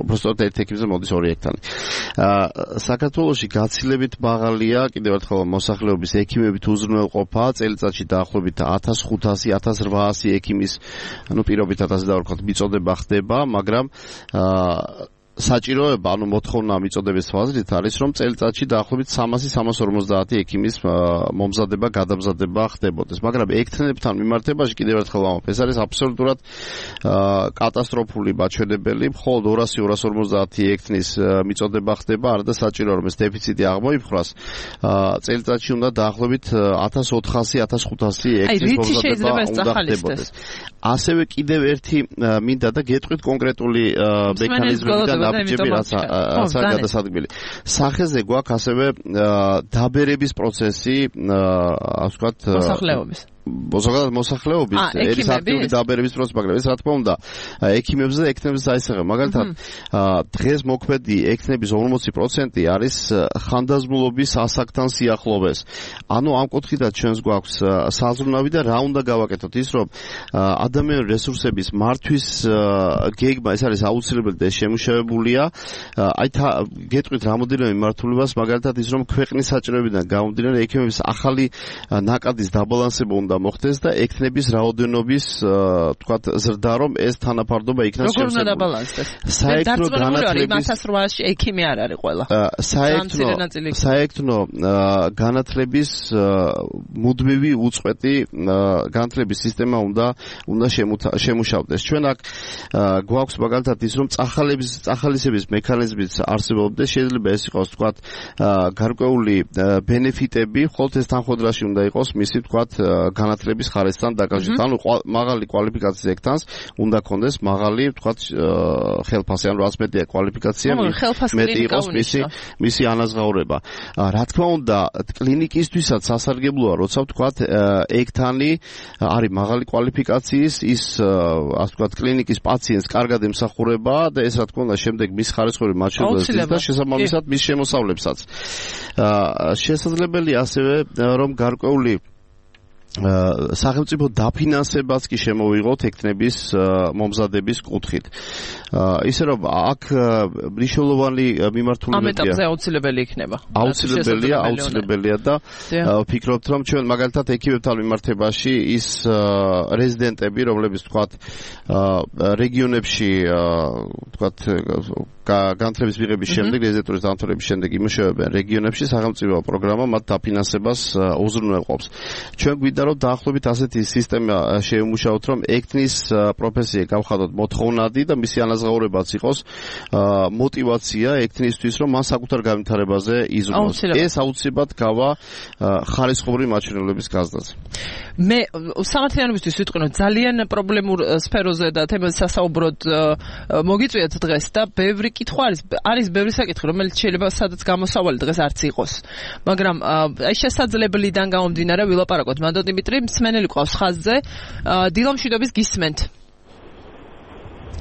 უბრალოდ ერთ ექიმზე მოდის 2 ექთანი. საქართველოში გაცილებით მაღალია კიდევ ერთხელ მოსახლეობის ექიმებით უზრუნველყოფა, წელიწადში დაახლოებით 1500-1800 ექიმის, პირობითად ასე დავარქვათ, მიწოდება ხდება, მაგრამ საჭიროება, მოთხოვნა მიწოდების თვალსაზრისით არის, რომ წელიწადში დაახლოებით 300-350 ექიმის მომზადება, გადამზადება ხდებოდეს. მაგრამ ექთნებთან მიმართებაში კიდევ ერთხელ ვამბობ, ეს არის აბსოლუტურად კატასტროფული მაჩვენებელი. მხოლოდ 200-250 ექთნის მიწოდება ხდება, არა და საჭიროა რომ ეს დეფიციტი აღმოიფხვრას. წელიწადში უნდა დაახლოებით 1400-1500 ექთნის მომზადება უნდა ხდებოდეს. ასევე კიდევ ერთი მინდა და გეტყვით კონკრეტული მექანიზმები და ნაბიჯები რაცა გადასადგმელი. სახეზე გვაქვს ასევე დაბერების პროცესი, ასე ვთქვათ, მოსახლეობის ერის აქტიური დაბერების პროცესი, მაგრამ ეს რა თქმა უნდა ექიმებზე და ექთნებზე აისახება. მაგალითად, დღეს მოქმედი ექთნების 40% არის ხანდაზმულობის ასაკთან სიახლოვეს. ანუ ამ კუთხიდან ჩვენს გვაქვს საზრუნავი და რა უნდა გავაკეთოთ ის, რომ ადამიანური რესურსების მართვის გეგმა ეს არის აუცილებელი და შემუშავებულია. აი გეტყვით რამოდენიმე მიმართულებას, მაგალითად ის, რომ ქვეყნის საჭიროებიდან გამომდინარე ექიმების ახალი ნაკადის დაბალანსება უნდა მოხდეს და ექთნების რაოდენობის თქვათ ზრდა, რომ ეს თანაფარდობა იქნას შევსებული. როგორ უნდა დაბალანსდეს? საექთნო განათლების 1800-ში ექიმი არ არის ყველა. საექთნო განათლების მუდმივი უწყვეტი განათლების სისტემა უნდა შემუშავდეს. ჩვენ აქ გვაქვს მაგალითად ის, რომ წახალისების მექანიზმიც არსებობდეს, შეიძლება ეს იყოს თქვათ გარკვეული ბენეფიტები, ხოლო ეს თანხმდრაში უნდა იყოს მისი თქვათ განათლების ხარისხთან დაკავშირებით. ანუ მაღალი კვალიფიკაციის ექთანს უნდა ქონდეს მაღალი თქვათ ხელფასი, ანუ რაც მეტია კვალიფიკაცია, მეტი იყოს მისი ანაზღაურება. რა თქმა უნდა, კლინიკისთვისაც სასარგებლოა, როცა თქვათ ექთანი არის მაღალი კვალიფიკაციის, ის ასე ვთქვათ კლინიკის პაციენტს კარგად ემსახურება და ეს რა თქმა უნდა შემდეგ მის ხარისხური მაჩვენებლებს და შესაბამისად მის შემოსავლებსაც. შესაძლებელია ასევე რომ გარკვეული სახელმწიფო დაფინანსებაც კი შემოვიღოთ ექთნების მომზადების კუთხით. ისე რომ აქ მნიშვნელოვანი მიმართულებაა. ამ ეტაპზე აუცილებელი იქნება. აუცილებელია და ვფიქრობთ რომ ჩვენ მაგალითად ექიმებთან მიმართებაში ის რეზიდენტები, რომლებიც თქვათ რეგიონებში თქვათ განათლების მიღების შემდეგ, რეზიდენტურის დამთავრების შემდეგ იმუშავებენ რეგიონებში, სახელმწიფო პროგრამა მათ დაფინანსებას უზრუნველყოფს. ჩვენ გვინდა რომ დაახლოებით ასეთი სისტემა შეიმუშაოთ, რომ ექთნის პროფესია გავხადოთ მოთხოვნადი და მისი ანაზღაურებაც იყოს мотивация ექთნისთვის, რომ მან საკუთარ განვითარებაზე იზრუნოს. ეს აუცილებლად გავა ხარისხობრივი მაჩვენებლების გაზრდაზე. მე სამართლიანობისთვის ვიტყვი, რომ ძალიან პრობლემურ სფეროზე და თემაზე სასაუბროდ მოგიწვიათ დღეს და ბევრი კითხვა არის ბევრი საკითხი, რომელიც შეიძლება სადაც გამოსავალი დღეს არც იყოს. მაგრამ აი შესაძლებელიდან გამომდინარე ვილაპარაკოთ. მანდო დიმიტრი, მსმენელი ყავს ხაზზე. დილამშვიდობის გისმენთ.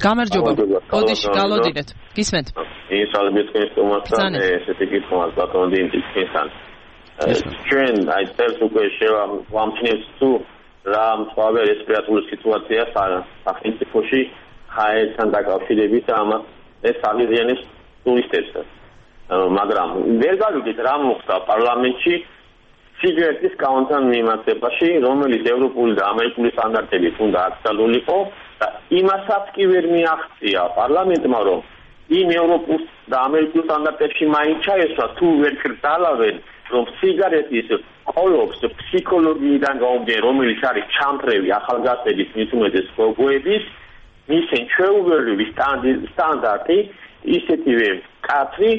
გამარჯობა. ოდიში გალოდინეთ. გისმენთ. ისალმის კეთილმოწყალე ესეთი კითხვა ბატონ დიმიტრისთან. ჩვენ აი წელს უკვე შევამჩნევთ თუ რა მსხვავე რესპირატორული სიტუაცია სახელმწიფოში ჰაერთან დაკავშირებით ამას ეს აღიზიანებს ტურისტებს. მაგრამ ვერ გავიგეთ რა მოხდა პარლამენტში სიგარეტის კაუნტთან მიმართებაში, რომელიც ევროპული და ამერიკული სტანდარტებით უნდა აკრძალულიყო და იმასაც კი ვერ მიაღწია პარლამენტმა, რომ იმ ევროპულ და ამერიკულ სტანდარტებში მაინც ჩაესვა თუ ვერ კრძალავენ, რომ სიგარეტის ყოლობს ფსიქოლოგიიდან გამომდინარე, რომელიც არის ჩამფრევი ახალგაზრდების მით უმეტეს გოგოების მისცენ ჩვეულებრივი სტანდარტი ისეთივე კაცრი,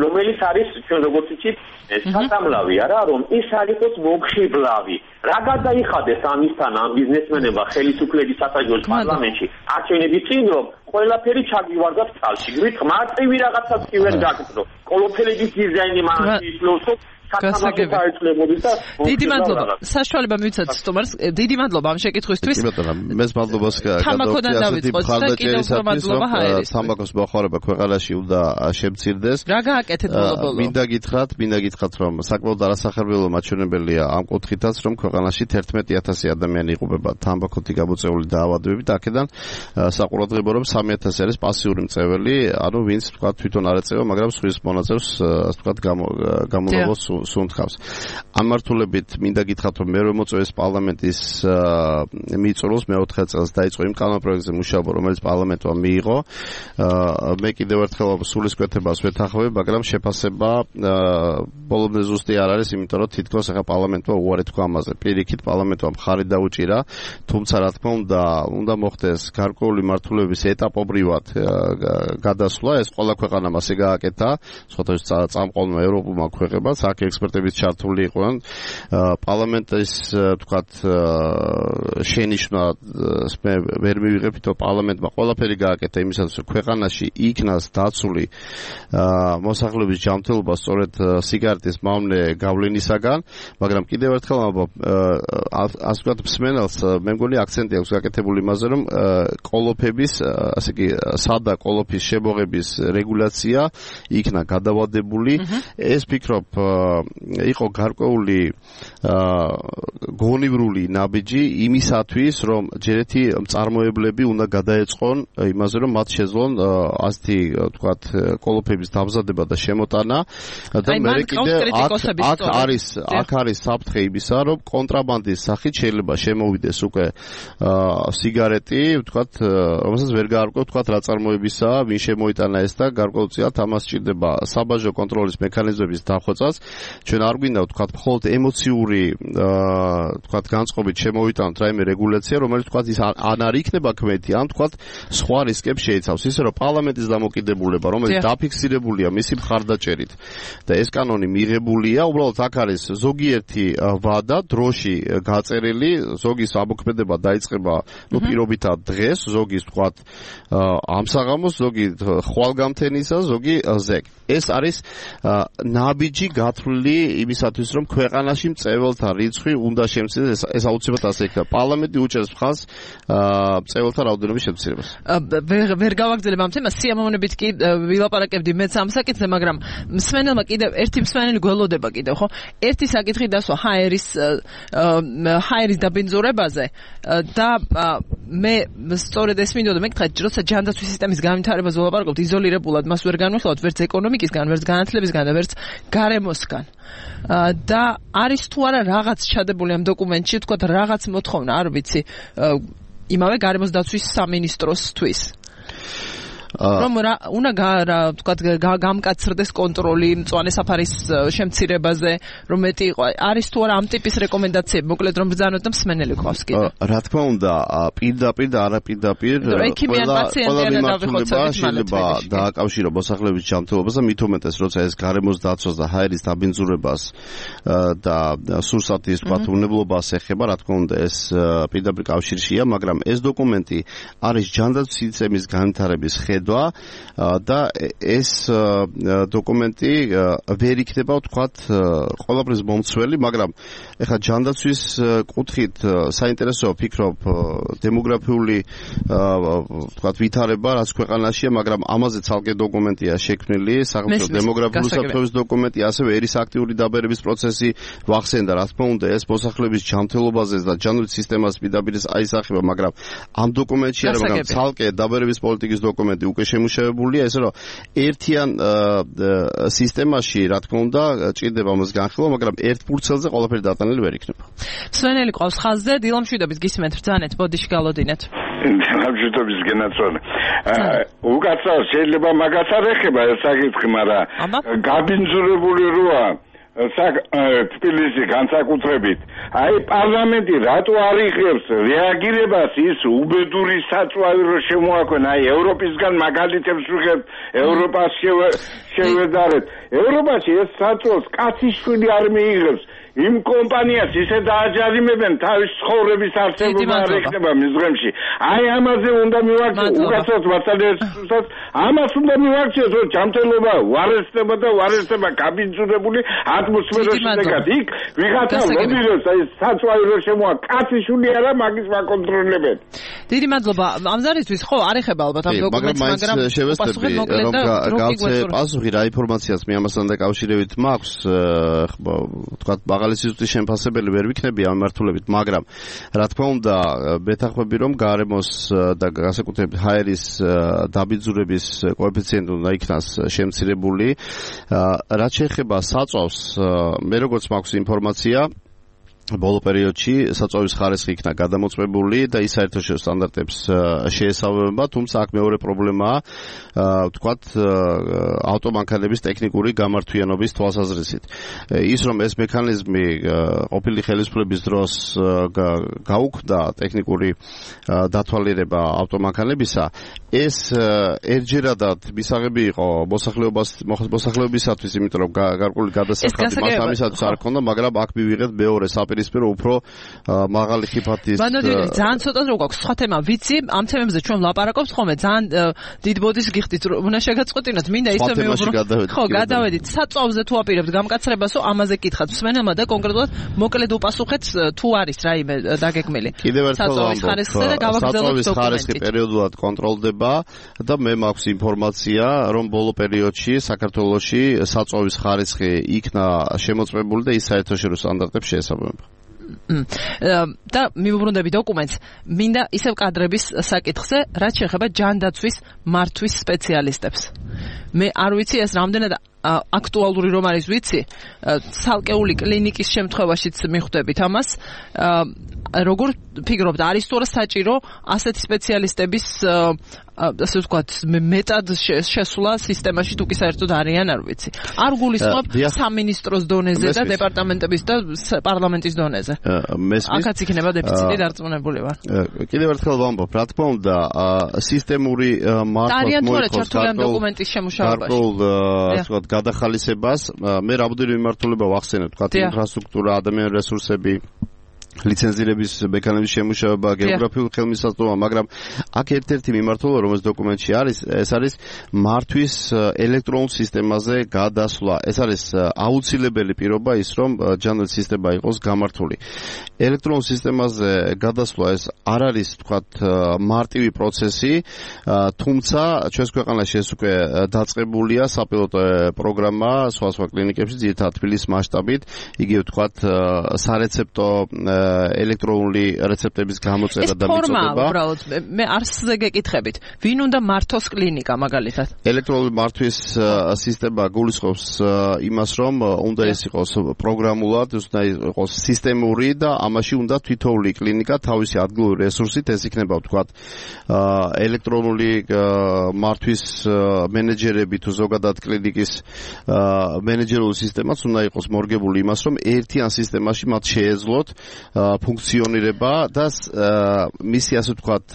რომელიც არის ჩვენ როგორც ვიცით, საწამლავი არა, რომ ის არ იყოს მოგხიბლავი. რა გადაიხადეს ამისთან ამ ბიზნესმენებმა ხელისუფლების სასაჯოს პარლამენტში არჩევნების წინ, რომ ყველაფერი ჩაგივარდათ წყალში. გვითხრათ, მარტივი რაღაცას კი ვერ გაგწრო. ყოლოფელების დიზაინი მანაში ისლოს დიდი მადლობა. საშუალება მივიცათ სტუმარს. დიდი მადლობა ამ შეკითხვისთვის. მეს მადლობას თამბაქოდან დავიწყოთ და კიდევ უფრო მადლობა ჰაერის. თამბაქოს მოხმარება ქვეყანაში უნდა შემცირდეს. რა გააკეთეთ ბოლო-ბოლო? მინდა გითხრათ, რომ საკმაოდ არასახერბელო მაჩვენებელია ამ კუთხითაც, რომ ქვეყანაში 11,000 ადამიანი იყოფება თამბაქოთი გამოწვეული დაავადებებით. აქედან საყურადღებო რომ 3,000 არის პასიური მწვეველი, ანუ ვინც თქვა თვითონ არ ეწევა, მაგრამ სხვის მონაწილეს თქვა გამოლავოს სუნთქავს. ამ მართულებით მინდა გითხრათ, რომ მერვე მოწვევის პარლამენტის მიწურულს მე-4 წელს დაიწყო იმ კანონპროექტზე მუშაობა, რომელიც პარლამენტმა მიიღო. მე კიდევ ერთხელ სულისკვეთებას ვეთანხმები, მაგრამ შეფასება ბოლომდე ზუსტი არ არის, იმიტომ რომ თითქოს ახლა პარლამენტმა უარი თქვა ამაზე. პირიქით პარლამენტმა მხარი დაუჭირა, თუმცა რა თქმა უნდა მოხდეს გარკვეული მართულების ეტაპობრივად გადასვლა, ეს ყველა ქვეყანამ ასე გააკეთა, სხვათა წამყვანმა ევროპულმა ქვეყნებაც აქ ექსპერტების ჩართული იყვნენ. პარლამენტის თქვათ შენიშვნა მე ვერ მივიღებთ, რომ პარლამენტმა ყველაფერი გააკეთა იმისათვის, რომ ქვეყანაში იქნას დაცული მოსახლეობის ჯანმრთელობა სწორედ სიგარეტის მავნე გავლენისაგან, მაგრამ კიდევ ერთხელ ასე ვთქვათ მსმენელს მე მგონი აქცენტი აქვს გაკეთებული იმაზე, რომ ყოლოფების, ასე იგი სადა ყოლოფის შემოღების რეგულაცია იქნა გადავადებული. ეს ფიქრობ იყო გარკვეული გონივრული ნაბიჯი იმისათვის, რომ ჯერეთი მწარმოებლები უნდა გადაეწყონ იმაზე, რომ მათ შეძლონ ასეთი ვთქვათ ყოლოფების დამზადება და შემოტანა და მე კიდე აქ არის საფრთხე იმისა, რომ კონტრაბანდის სახით შეიძლება შემოვიდეს უკვე სიგარეტი, ვთქვათ, რომელსაც ვერ გაარკვევ ვთქვათ რა წარმოებისაა, ვინ შემოიტანა ეს და გარკვეულწილად ამას სჭირდება საბაჟო კონტროლის მექანიზმების დახვეწას. ჩვენ არ გვინდა ვთქვათ მხოლოდ ემოციური ვთქვათ განწყობით შემოვიტანოთ რაიმე რეგულაცია, რომელიც ვთქვათ ის ან არ იქნება ქმეთი, ან ვთქვათ სხვა რისკებს შეიცავს, ისე რომ პარლამენტის დამოკიდებულება, რომელიც დაფიქსირებულია მისი მხარდაჭერით და ეს კანონი მიღებულია, უბრალოდ აქ არის ზოგიერთი ვადა დროში გაწერილი, ზოგის ამოქმედება დაიწყება პირობითად დღეს, ზოგის ვთქვათ ამ საღამოს, ზოგი ხვალგამთენისა, ზოგი ზეგ. ეს არის ნაბიჯი გათვლილი იმისათვის, რომ ქვეყანაში მწვეველთა რიცხვი უნდა შემცირდეს, ეს აუცილებლად ასე იქნება. პარლამენტი უჭერს მხარს მწვეველთა რაოდენობის შემცირებას. ვერ გავაგრძელებ ამ თემას, სიამოვნებით კი ვილაპარაკებდი მეც ამ საკითხზე, მაგრამ მსმენელმა კიდევ ერთი მსმენელი გველოდება კიდევ, ხო? ერთი საკითხი დასვა ჰაერის დაბინძურებაზე და მე სწორედ ეს მინდოდა მეკითხა, როცა ჯანდაცვის სისტემის განვითარებაზე ვილაპარაკობთ, იზოლირებულად მას ვერ განვიხილავთ ვერც ეკონომიკისგან, ვერც განათლებისგან და ვერც გარემოსგან. და არის თუ არა რაღაც ჩადებული ამ დოკუმენტში, თქვათ რაღაც მოთხოვნა, არ ვიცი, იმავე გარემოს დაცვის სამინისტროსთვის. რომ უნდა ვთქვათ გამკაცრდეს კონტროლი მწვანე საფარის შემცირებაზე, რომ მეტი იყო. არის თუ არა ამ ტიპის რეკომენდაციები, მოკლედ რომ ბრძანოთ და მსმენელი ყავს კიდე. რა თქმა უნდა, პირდაპირ და არაპირდაპირ ყველა მიმართულება შეიძლება დააკავშიროს მოსახლეობის ჯანმრთელობას და მით უმეტეს, როცა ეს გარემოს დაცვას და ჰაერის დაბინძურებას და სურსათის თქვათ უნებლობას ეხება, რა თქმა უნდა, ეს პირდაპირ კავშირშია, მაგრამ ეს დოკუმენტი არის ჯანდაცვის სისტემის განვითარების ხედვა და ეს დოკუმენტი ვერ იქნება თქვათ ყველაფრის მომცველი, მაგრამ ეხლა ჯანდაცვის კუთხით საინტერესოა ვფიქრობ დემოგრაფიული თქვათ ვითარება რაც ქვეყანაშია, მაგრამ ამაზე ცალკე დოკუმენტია შექმნილი, სახელმწიფო დემოგრაფიული საფრთხების დოკუმენტი, ასევე ერის აქტიური დაბერების პროცესი ვახსენდა, რა თქმა უნდა, ეს მოსახლეობის ჯანმრთელობაზე და ჯანდაცვის სისტემას პირდაპირ აისახება, მაგრამ ამ დოკუმენტში არა, მაგრამ ცალკე დაბერების პოლიტიკის დოკუმენტი უკვე შემუშავებულია, ესე რომ ერთიან სისტემაში, რა თქმა უნდა, ჭირდება მას განხილვა, მაგრამ ერთ ფურცელზე ყველაფერი დატანილი ვერ იქნება. მსმენელი ყავს ხაზზე, დილამშვიდობის გისმენთ, ბრძანეთ, ბოდიში გალოდინეთ. დილამშვიდობის გენაცვალე. უკაცრავ შეიძლება მაგას არ ეხება ეს საკითხი, მაგრამ გაბინძურებული როა თბილისი განსაკუთრებით. აი პარლამენტი რატო არ იღებს რეაგირებას ის უბედური საწვავი რო შემოაქვეყნა, აი ევროპისგან მაგალითებს ვიღებთ, ევროპას შევედარეთ. ევროპაში ეს საწვავს კაციშვილი არ მიიღებს. იმ კომპანიას ისე დააჯარიმებენ თავის ცხოვრების არსებობა არ ეხება მიზღემში. აი ამაზე უნდა მივაქციოთ, უკაცრავად მართალიასაც ამას უნდა მივაქციოთ, რომ ჯანმრთელობა უარესდება და უარესდება გაბინძურებული ატმოსფეროში შეგად. იქ ვიღაცა ლობირებს, აი საწვავი რო შემოა, კაციშვილი არა მაგის მაკონტროლებენ. დიდი მადლობა. ამზარისთვის ხო არ ეხება ალბათ ამ დოკუმენტს, მაგრამ შევესწრები რომ გავცე პასუხი რა ინფორმაციას მე ამასთან დაკავშირებით მაქვს, თქვათ სიზუსტის შემფასებელი ვერ ვიქნები ამ მიმართულებით, მაგრამ რა თქმა უნდა, მეთანხმები რომ გარემოს და განსაკუთრებით ჰაერის დაბინძურების კოეფიციენტი უნდა იქნას შემცირებული. რაც შეეხება საწვავს, მე როგორც მაქვს ინფორმაცია, ბოლო პერიოდში საწვავის ხარისხი იქნა გადამოწმებული და ის საერთაშორისო სტანდარტებს შეესაბამება, თუმცა აქ მეორე პრობლემაა, ვთქვათ, ავტომანქანების ტექნიკური გამართვიანობის თვალსაზრისით. ის რომ ეს მექანიზმი ყოფილი ხელისუფლების დროს გაუქმდა ტექნიკური დათვალიერება ავტომანქანებისა, ეს ერთჯერადად მისაღები იყო მოსახლეობისათვის, იმიტომ რომ გარკვეული გადასახადი მას ამისათვის არ ჰქონდა, მაგრამ აქ მივიღეთ მეორე საპირისპირო უფრო მაღალი ხიფათის. ბანოდიერი, ძალიან ცოტა რო გვაქვს სხვა თემა, ვიცი, ამ თემებზე ჩვენ ვლაპარაკობთ ხოლმე, ძალიან დიდ ბოდის გიხდით, უნდა შეგაწყვეტინოთ, მინდა ისე მივუბრუნოთ. ხო, გადავედით. საწვავზე თუ აპირებთ გამკაცრებასო, ამაზე გითხათ მსმენელმა და კონკრეტულად მოკლედ უპასუხეთ თუ არის რაიმე დაგეგმილი. საწვავის ხარისხზე და გავაგრძელოთ დოკუმენტით. ხარისხი პერიოდულად კონტროლდება და მე მაქვს ინფორმაცია, რომ ბოლო პერიოდში საქართველოში საწვავის ხარისხი იქნა შემოწმებული და ის საერთაშორისო სტანდარტებს შეესაბამება. და მივუბრუნდები დოკუმენტს, მინდა ისევ კადრების საკითხზე, რაც შეეხება ჯანდაცვის მართვის სპეციალისტებს. მე არ ვიცი ეს რამდენად აქტუალური რომ არის ვიცი, ცალკეული კლინიკის შემთხვევაშიც მიხვდებით ამას, როგორ ფიქრობთ, არის თუ არა საჭირო ასეთი სპეციალისტების ასე ვთქვათ, მეტად შესვლა სისტემაში თუ კი საერთოდ არიან, არ ვიცი. არ გულისხმობ სამინისტროს დონეზე და დეპარტამენტების და პარლამენტის დონეზე. აქაც იქნება დეფიციტი დარწმუნებული ვარ. კიდევ ერთხელ ვამბობ, რა თქმა უნდა, სისტემური მართვას მოიხსნა ამ დოკუმენტის შემუშავებაში. ასე ვთქვათ, გადახალისებას, მე რამოდენიმე მიმართულება ვახსენებ, თქვათ, ინფრასტრუქტურა, ადამიანური რესურსები, ლიცენზირების მექანიზმის შემუშავება, გეოგრაფიული ხელმისაწვდომა, მაგრამ აქ ერთ-ერთი მიმართულება, რომელიც დოკუმენტში არის, ეს არის მართვის ელექტრონულ სისტემაზე გადასვლა. ეს არის აუცილებელი პირობა ის, რომ ჯანდაცვის სისტემა იყოს გამართული. ელექტრონულ სისტემაზე გადასვლა ეს არ არის, თქვათ, მარტივი პროცესი, თუმცა ჩვენს ქვეყანაში ეს უკვე დაწყებულია საპილოტო პროგრამა სხვა კლინიკებში, ძირითადად თბილისის მასშტაბით, იგივე, თქვათ, სარეცეპტო ელექტრონული რეცეპტების გამოწერა და მიწოდება. ეს ფორმა უბრალოდ მე არსზე გეკითხებით. ვინ უნდა მართოს კლინიკა მაგალითად? ელექტრონული მართვის სისტემა გულისხმობს იმას, რომ უნდა ეს იყოს პროგრამულად, უნდა იყოს სისტემური და ამაში უნდა თითოეული კლინიკა თავისი ადგილობრივი რესურსით ეს იქნება ვთქვათ ელექტრონული მართვის მენეჯერები თუ ზოგადად კლინიკის მენეჯერული სისტემაც უნდა იყოს მორგებული იმას, რომ ერთიან სისტემაში მათ შეეძლოთ ფუნქციონირება და მისი ასე ვთქვათ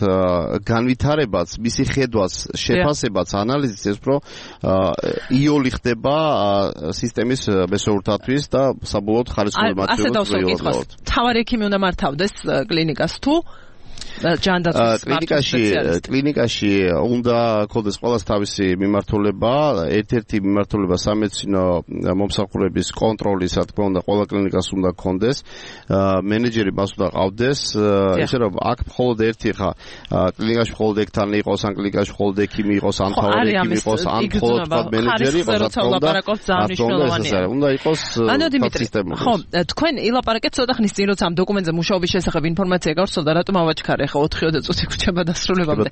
განვითარებაც, მისი ხედვაც, შეფასებაც, ანალიზიც ეს უფრო იოლი ხდება სისტემის მესოურთათვის და საბოლოოდ ხარისხული მატერიალს ვიოლობთ. თავარი ექიმი უნდა მართავდეს კლინიკას თუ კლინიკაში უნდა ქონდეს ყველას თავისი მიმართულება, ერთ-ერთი მიმართულება სამედიცინო მომსახურების კონტროლი, რა თქმა უნდა, ყველა კლინიკას უნდა ქონდეს, მენეჯერი მას უნდა ყავდეს, ესე რომ აქ მხოლოდ ერთი ხა კლინიკაში მხოლოდ ექთანი იყოს, ან კლინიკაში მხოლოდ ექიმი იყოს, ან თავარი ექიმი იყოს, ან მხოლოდ მენეჯერი იყოს, რა თქმა უნდა, უნდა იყოს სისტემური. ხო, თქვენ ილაპარაკეთ ცოტა ხნის წინ, როცა ამ დოკუმენტზე მუშაობის შესახებ ინფორმაცია გავრცელდა, რატომ ავაჩქარე ხა 4-20 წუთი ქუჩება დასრულებამდე.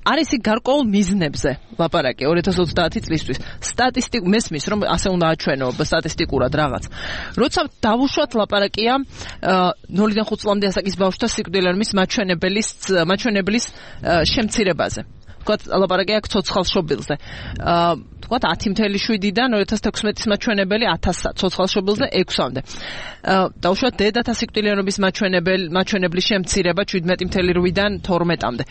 არის იქ გარკვეულ მიზნებზე ლაპარაკი 2030 წლისთვის. მესმის რომ ასე უნდა აჩვენო სტატისტიკურად რაღაც. როცა დავუშვათ ლაპარაკია 0-დან 5 წლამდე ასაკის ბავშვთა სიკვდილის მაჩვენებლის შემცირებაზე. ვთქვათ, ლაპარაკია აქ ცოცხალ შობილზე. ვთქვათ 10.7-დან 2016-ის მაჩვენებელი 1000 ცოცხალ შობილზე 6-მდე. დავუშვათ დედათა სიკვდილიანობის მაჩვენებლის შემცირება 17.8-დან 12-მდე.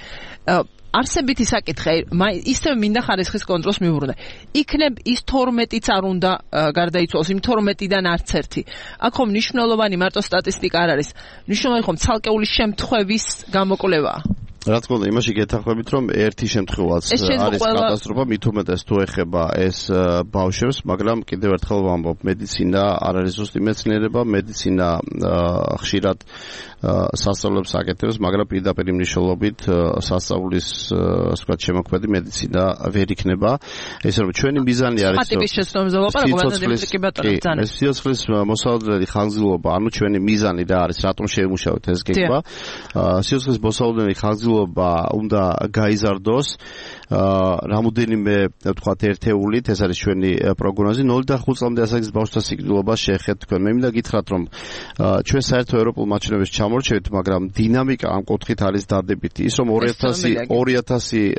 არსებითი საკითხი, ისევ მინდა ხარისხის კონტროლს მიუბრუნდე. იქნებ ის 12-იც არ უნდა გარდაიცვალოს, იმ 12-დან არც ერთი. აქ ხომ მნიშვნელოვანი მარტო სტატისტიკა არ არის. მნიშვნელოვანი ხომ ცალკეული შემთხვევის გამოკვლევაა. რა თქმა უნდა, იმაში გეთანხმებით, რომ ერთი შემთხვევაც არის კატასტროფა, მით უმეტეს თუ ეხება ეს ბავშვებს, მაგრამ კიდევ ერთხელ ვამბობ, მედიცინა არ არის ზუსტი მეცნიერება, მედიცინა ხშირად სასწავლებს აკეთებს, მაგრამ პირდაპირ მნიშვნელობით სასწავლის, ასე ვთქვათ, შემოქმედი მედიცინა ვერ იქნება. ესე რომ ჩვენი მიზანი არის სიცოცხლის მოსავალებელი ხანგრძლივობა, ანუ ჩვენი მიზანი რა არის, რატომ შევიმუშავეთ ეს გეგმა. სიცოცხლის მოსავალებელი ხანგრძლივობა უნდა გაიზარდოს რამოდენიმე ვთქვათ ერთეულით, ეს არის ჩვენი პროგნოზი. 0-დან 5 წლამდე ასაკის ბავშვთა სიკვდილობას შეეხეთ თქვენ. მე მინდა გითხრათ, რომ ჩვენ საერთო ევროპულ მაჩვენებებს ჩამორჩევით, მაგრამ დინამიკა ამ კუთხით არის დადებითი. ის რომ 2000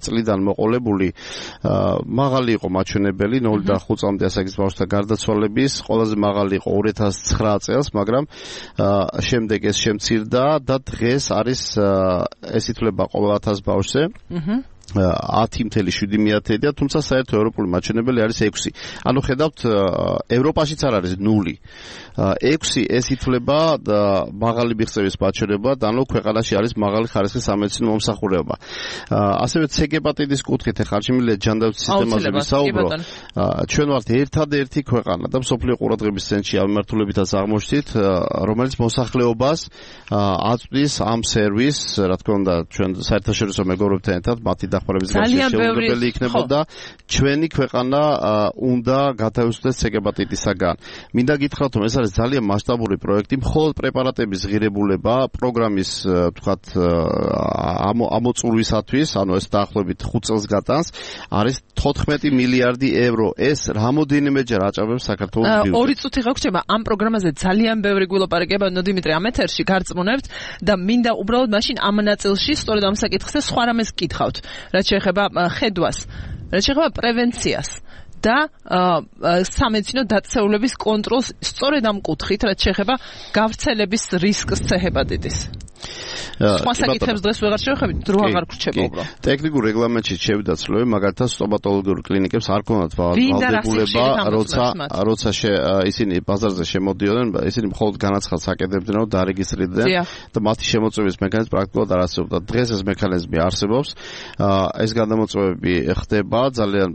წლიდან მოყოლებული მაღალი იყო მაჩვენებელი 0-დან 5 წლამდე ასაკის ბავშვთა გარდაცვალების, ყველაზე მაღალი იყო 2009 წელს, მაგრამ შემდეგ ეს შემცირდა და დღეს არის ეს ითვლება ყოველ 1000 ბავშვზე. 10.7 და თუმცა საერთო ევროპული მაჩვენებელი არის 6. ანუ ხედავთ, ევროპაშიც არ არის 0. 6 ეს ითვლება მაღალი მიღწევის მაჩვენება, ანუ ქვეყანაში არის მაღალი ხარისხის სამედიცინო მომსახურება. ასევე ცეგეპატიტის კუთხით ახლა შემიძლია ჯანდაცვის სისტემაზე ვისაუბრო. ჩვენ ვართ ერთადერთი ქვეყანა და მსოფლიო ყურადღების ცენტრში ამ მიმართულებითაც აღმოჩნდით, რომელიც მოსახლეობას აწვდის ამ სერვისს, რა თქმა უნდა, ჩვენ საერთაშორისო მეგობრებთან ერთად მათი დახმარების გარეშე შეუძლებელი იქნებოდა ჩვენი ქვეყანა უნდა გათავისუფლდეს ცეგეპატიტისაგან. მინდა გითხრათ, რომ ეს არის ძალიან მასშტაბური პროექტი, მხოლოდ პრეპარატების ღირებულება პროგრამის ვთქვათ ამოწურვისათვის, ანუ ეს დაახლოებით 5 წელს გატანს, არის 14 მილიარდი ევრო. ეს რამოდენიმეჯერ აჭარბებს საქართველოს ბიუჯეტს. 2 წუთი გაგვჭირდება ამ პროგრამაზე ძალიან ბევრი გვილაპარაკება, დიმიტრი ამ ეთერში გარწმუნებთ და მინდა უბრალოდ მაშინ ამ ნაწილში სწორედ ამ საკითხზე სხვა რამეს გკითხავთ. რაც შეეხება ხედვას, რაც შეეხება პრევენციას და სამედიცინო დაწესებულების კონტროლს სწორედ ამ კუთხით, რაც შეეხება გავრცელების რისკს ცეჰეპატიტის. სხვა საკითხებს დღეს ვეღარ შევხედავთ, დრო აღარ გრჩება უბრალოდ. ტექნიკურ რეგლამენტში შევიდა ცვლილები, მაგალითად სტომატოლოგიურ კლინიკებს არ ქონდათ ვალდებულება, როცა ისინი ბაზარზე შემოდიოდნენ, ისინი მხოლოდ განაცხადს აკეთებდნენ, რომ დარეგისტრირდნენ და მათი შემოწმების მექანიზმი პრაქტიკულად არ არსებობდა. დღეს ეს მექანიზმი არსებობს. ეს გადამოწმებები ხდება, ძალიან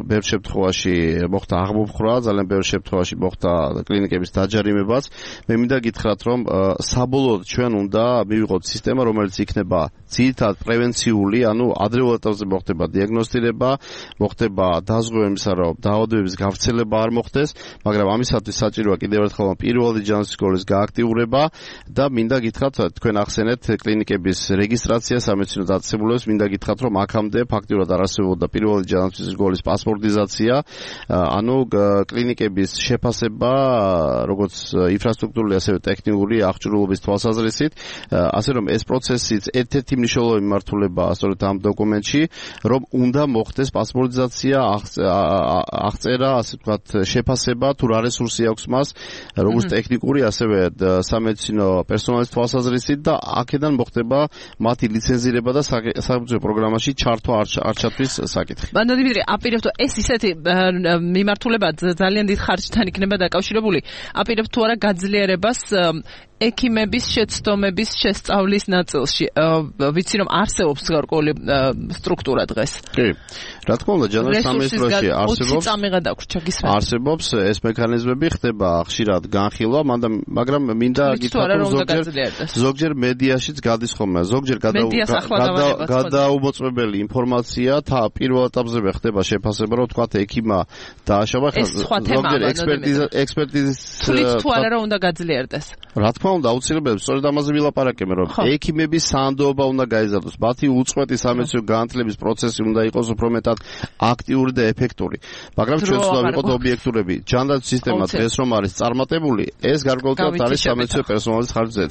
ბევრ შემთხვევაში მოხდა აღმოფხვრა, ძალიან ბევრ შემთხვევაში მოხდა კლინიკების დაჯარიმებაც. მე მინდა გითხრათ, რომ საბოლოოდ ჩვენ უნდა მივიღოთ სისტემა, რომელიც იქნება ძირითადად პრევენციული, ანუ ადრეულ ეტაპზე მოხდება დიაგნოსტირება, მოხდება დაზღვევებისა, რომ დაავადებების გავრცელება არ მოხდეს, მაგრამ ამისათვის საჭიროა კიდევ ერთხელ პირველადი ჯანსაღი სკოლის გააქტიურება და მინდა გითხრათ, თქვენ ახსენეთ კლინიკების რეგისტრაცია სამედიცინო დაწესებულებას, მინდა გითხრათ, რომ აქამდე ფაქტიურად არ არსებობდა პირველადი ჯანსაღი სკოლის პასპორტიზაცია, ანუ კლინიკების შეფასება, როგორც ინფრასტრუქტურული, ასევე ტექნიკური აღჭურვილობის თვალსაზრისით, ასე რომ ეს პროცესიც ერთ-ერთი მნიშვნელოვანი მიმართულებაა სწორედ ამ დოკუმენტში, რომ უნდა მოხდეს პასპორტიზაცია, აღწერა, ასე ვთქვათ, შეფასება, თუ რა რესურსი აქვს მას, როგორც ტექნიკური, ასევე სამედიცინო პერსონალის თვალსაზრისით და აქედან მოხდება მათი ლიცენზირება და საბჭოთა პროგრამაში ჩართვა არ ჩათვლის საკითხი. ბანდო დიმიტრი, აპირებთ ეს ისეთი მიმართულება ძალიან დიდ ხარჯთან იქნება დაკავშირებული. აპირებთ თუ არა გაძლიერებას ექიმების შეცდომების შესწავლის ნაწილში. ვიცი რომ არსებობს გარკვეული სტრუქტურა დღეს. კი. რა თქმა უნდა, ჯანდაცვის სამინისტროში არსებობს ეს მექანიზმები, ხდება ხშირად განხილვა, მაგრამ მინდა გითხრათ, რომ ზოგჯერ მედიაშიც გადის ხოლმე, ზოგჯერ გადაუმოწმებელი ინფორმაცია პირველ ეტაპზე ხდება შეფასება, რომ თქვათ ექიმა დააშავა, ზოგჯერ ექსპერტიზის თუ არა რომ უნდა გაძლიერდეს. რა თქმა უნდა, აუცილებლად სწორედ ამაზე ვილაპარაკებთ, რომ ექიმების საანდოობა უნდა გაიზარდოს, მათი უწყვეტი სამედიცინო განათლების პროცესი უნდა იყოს უფრო მეტად აქტიური და ეფექტური. მაგრამ ჩვენ უნდა ვიყოთ ობიექტურები. ჯანდაცვის სისტემა დღეს რომ არის წარმატებული, ეს გარკვეულწილად არის სამედიცინო პერსონალის ხარჯზეც.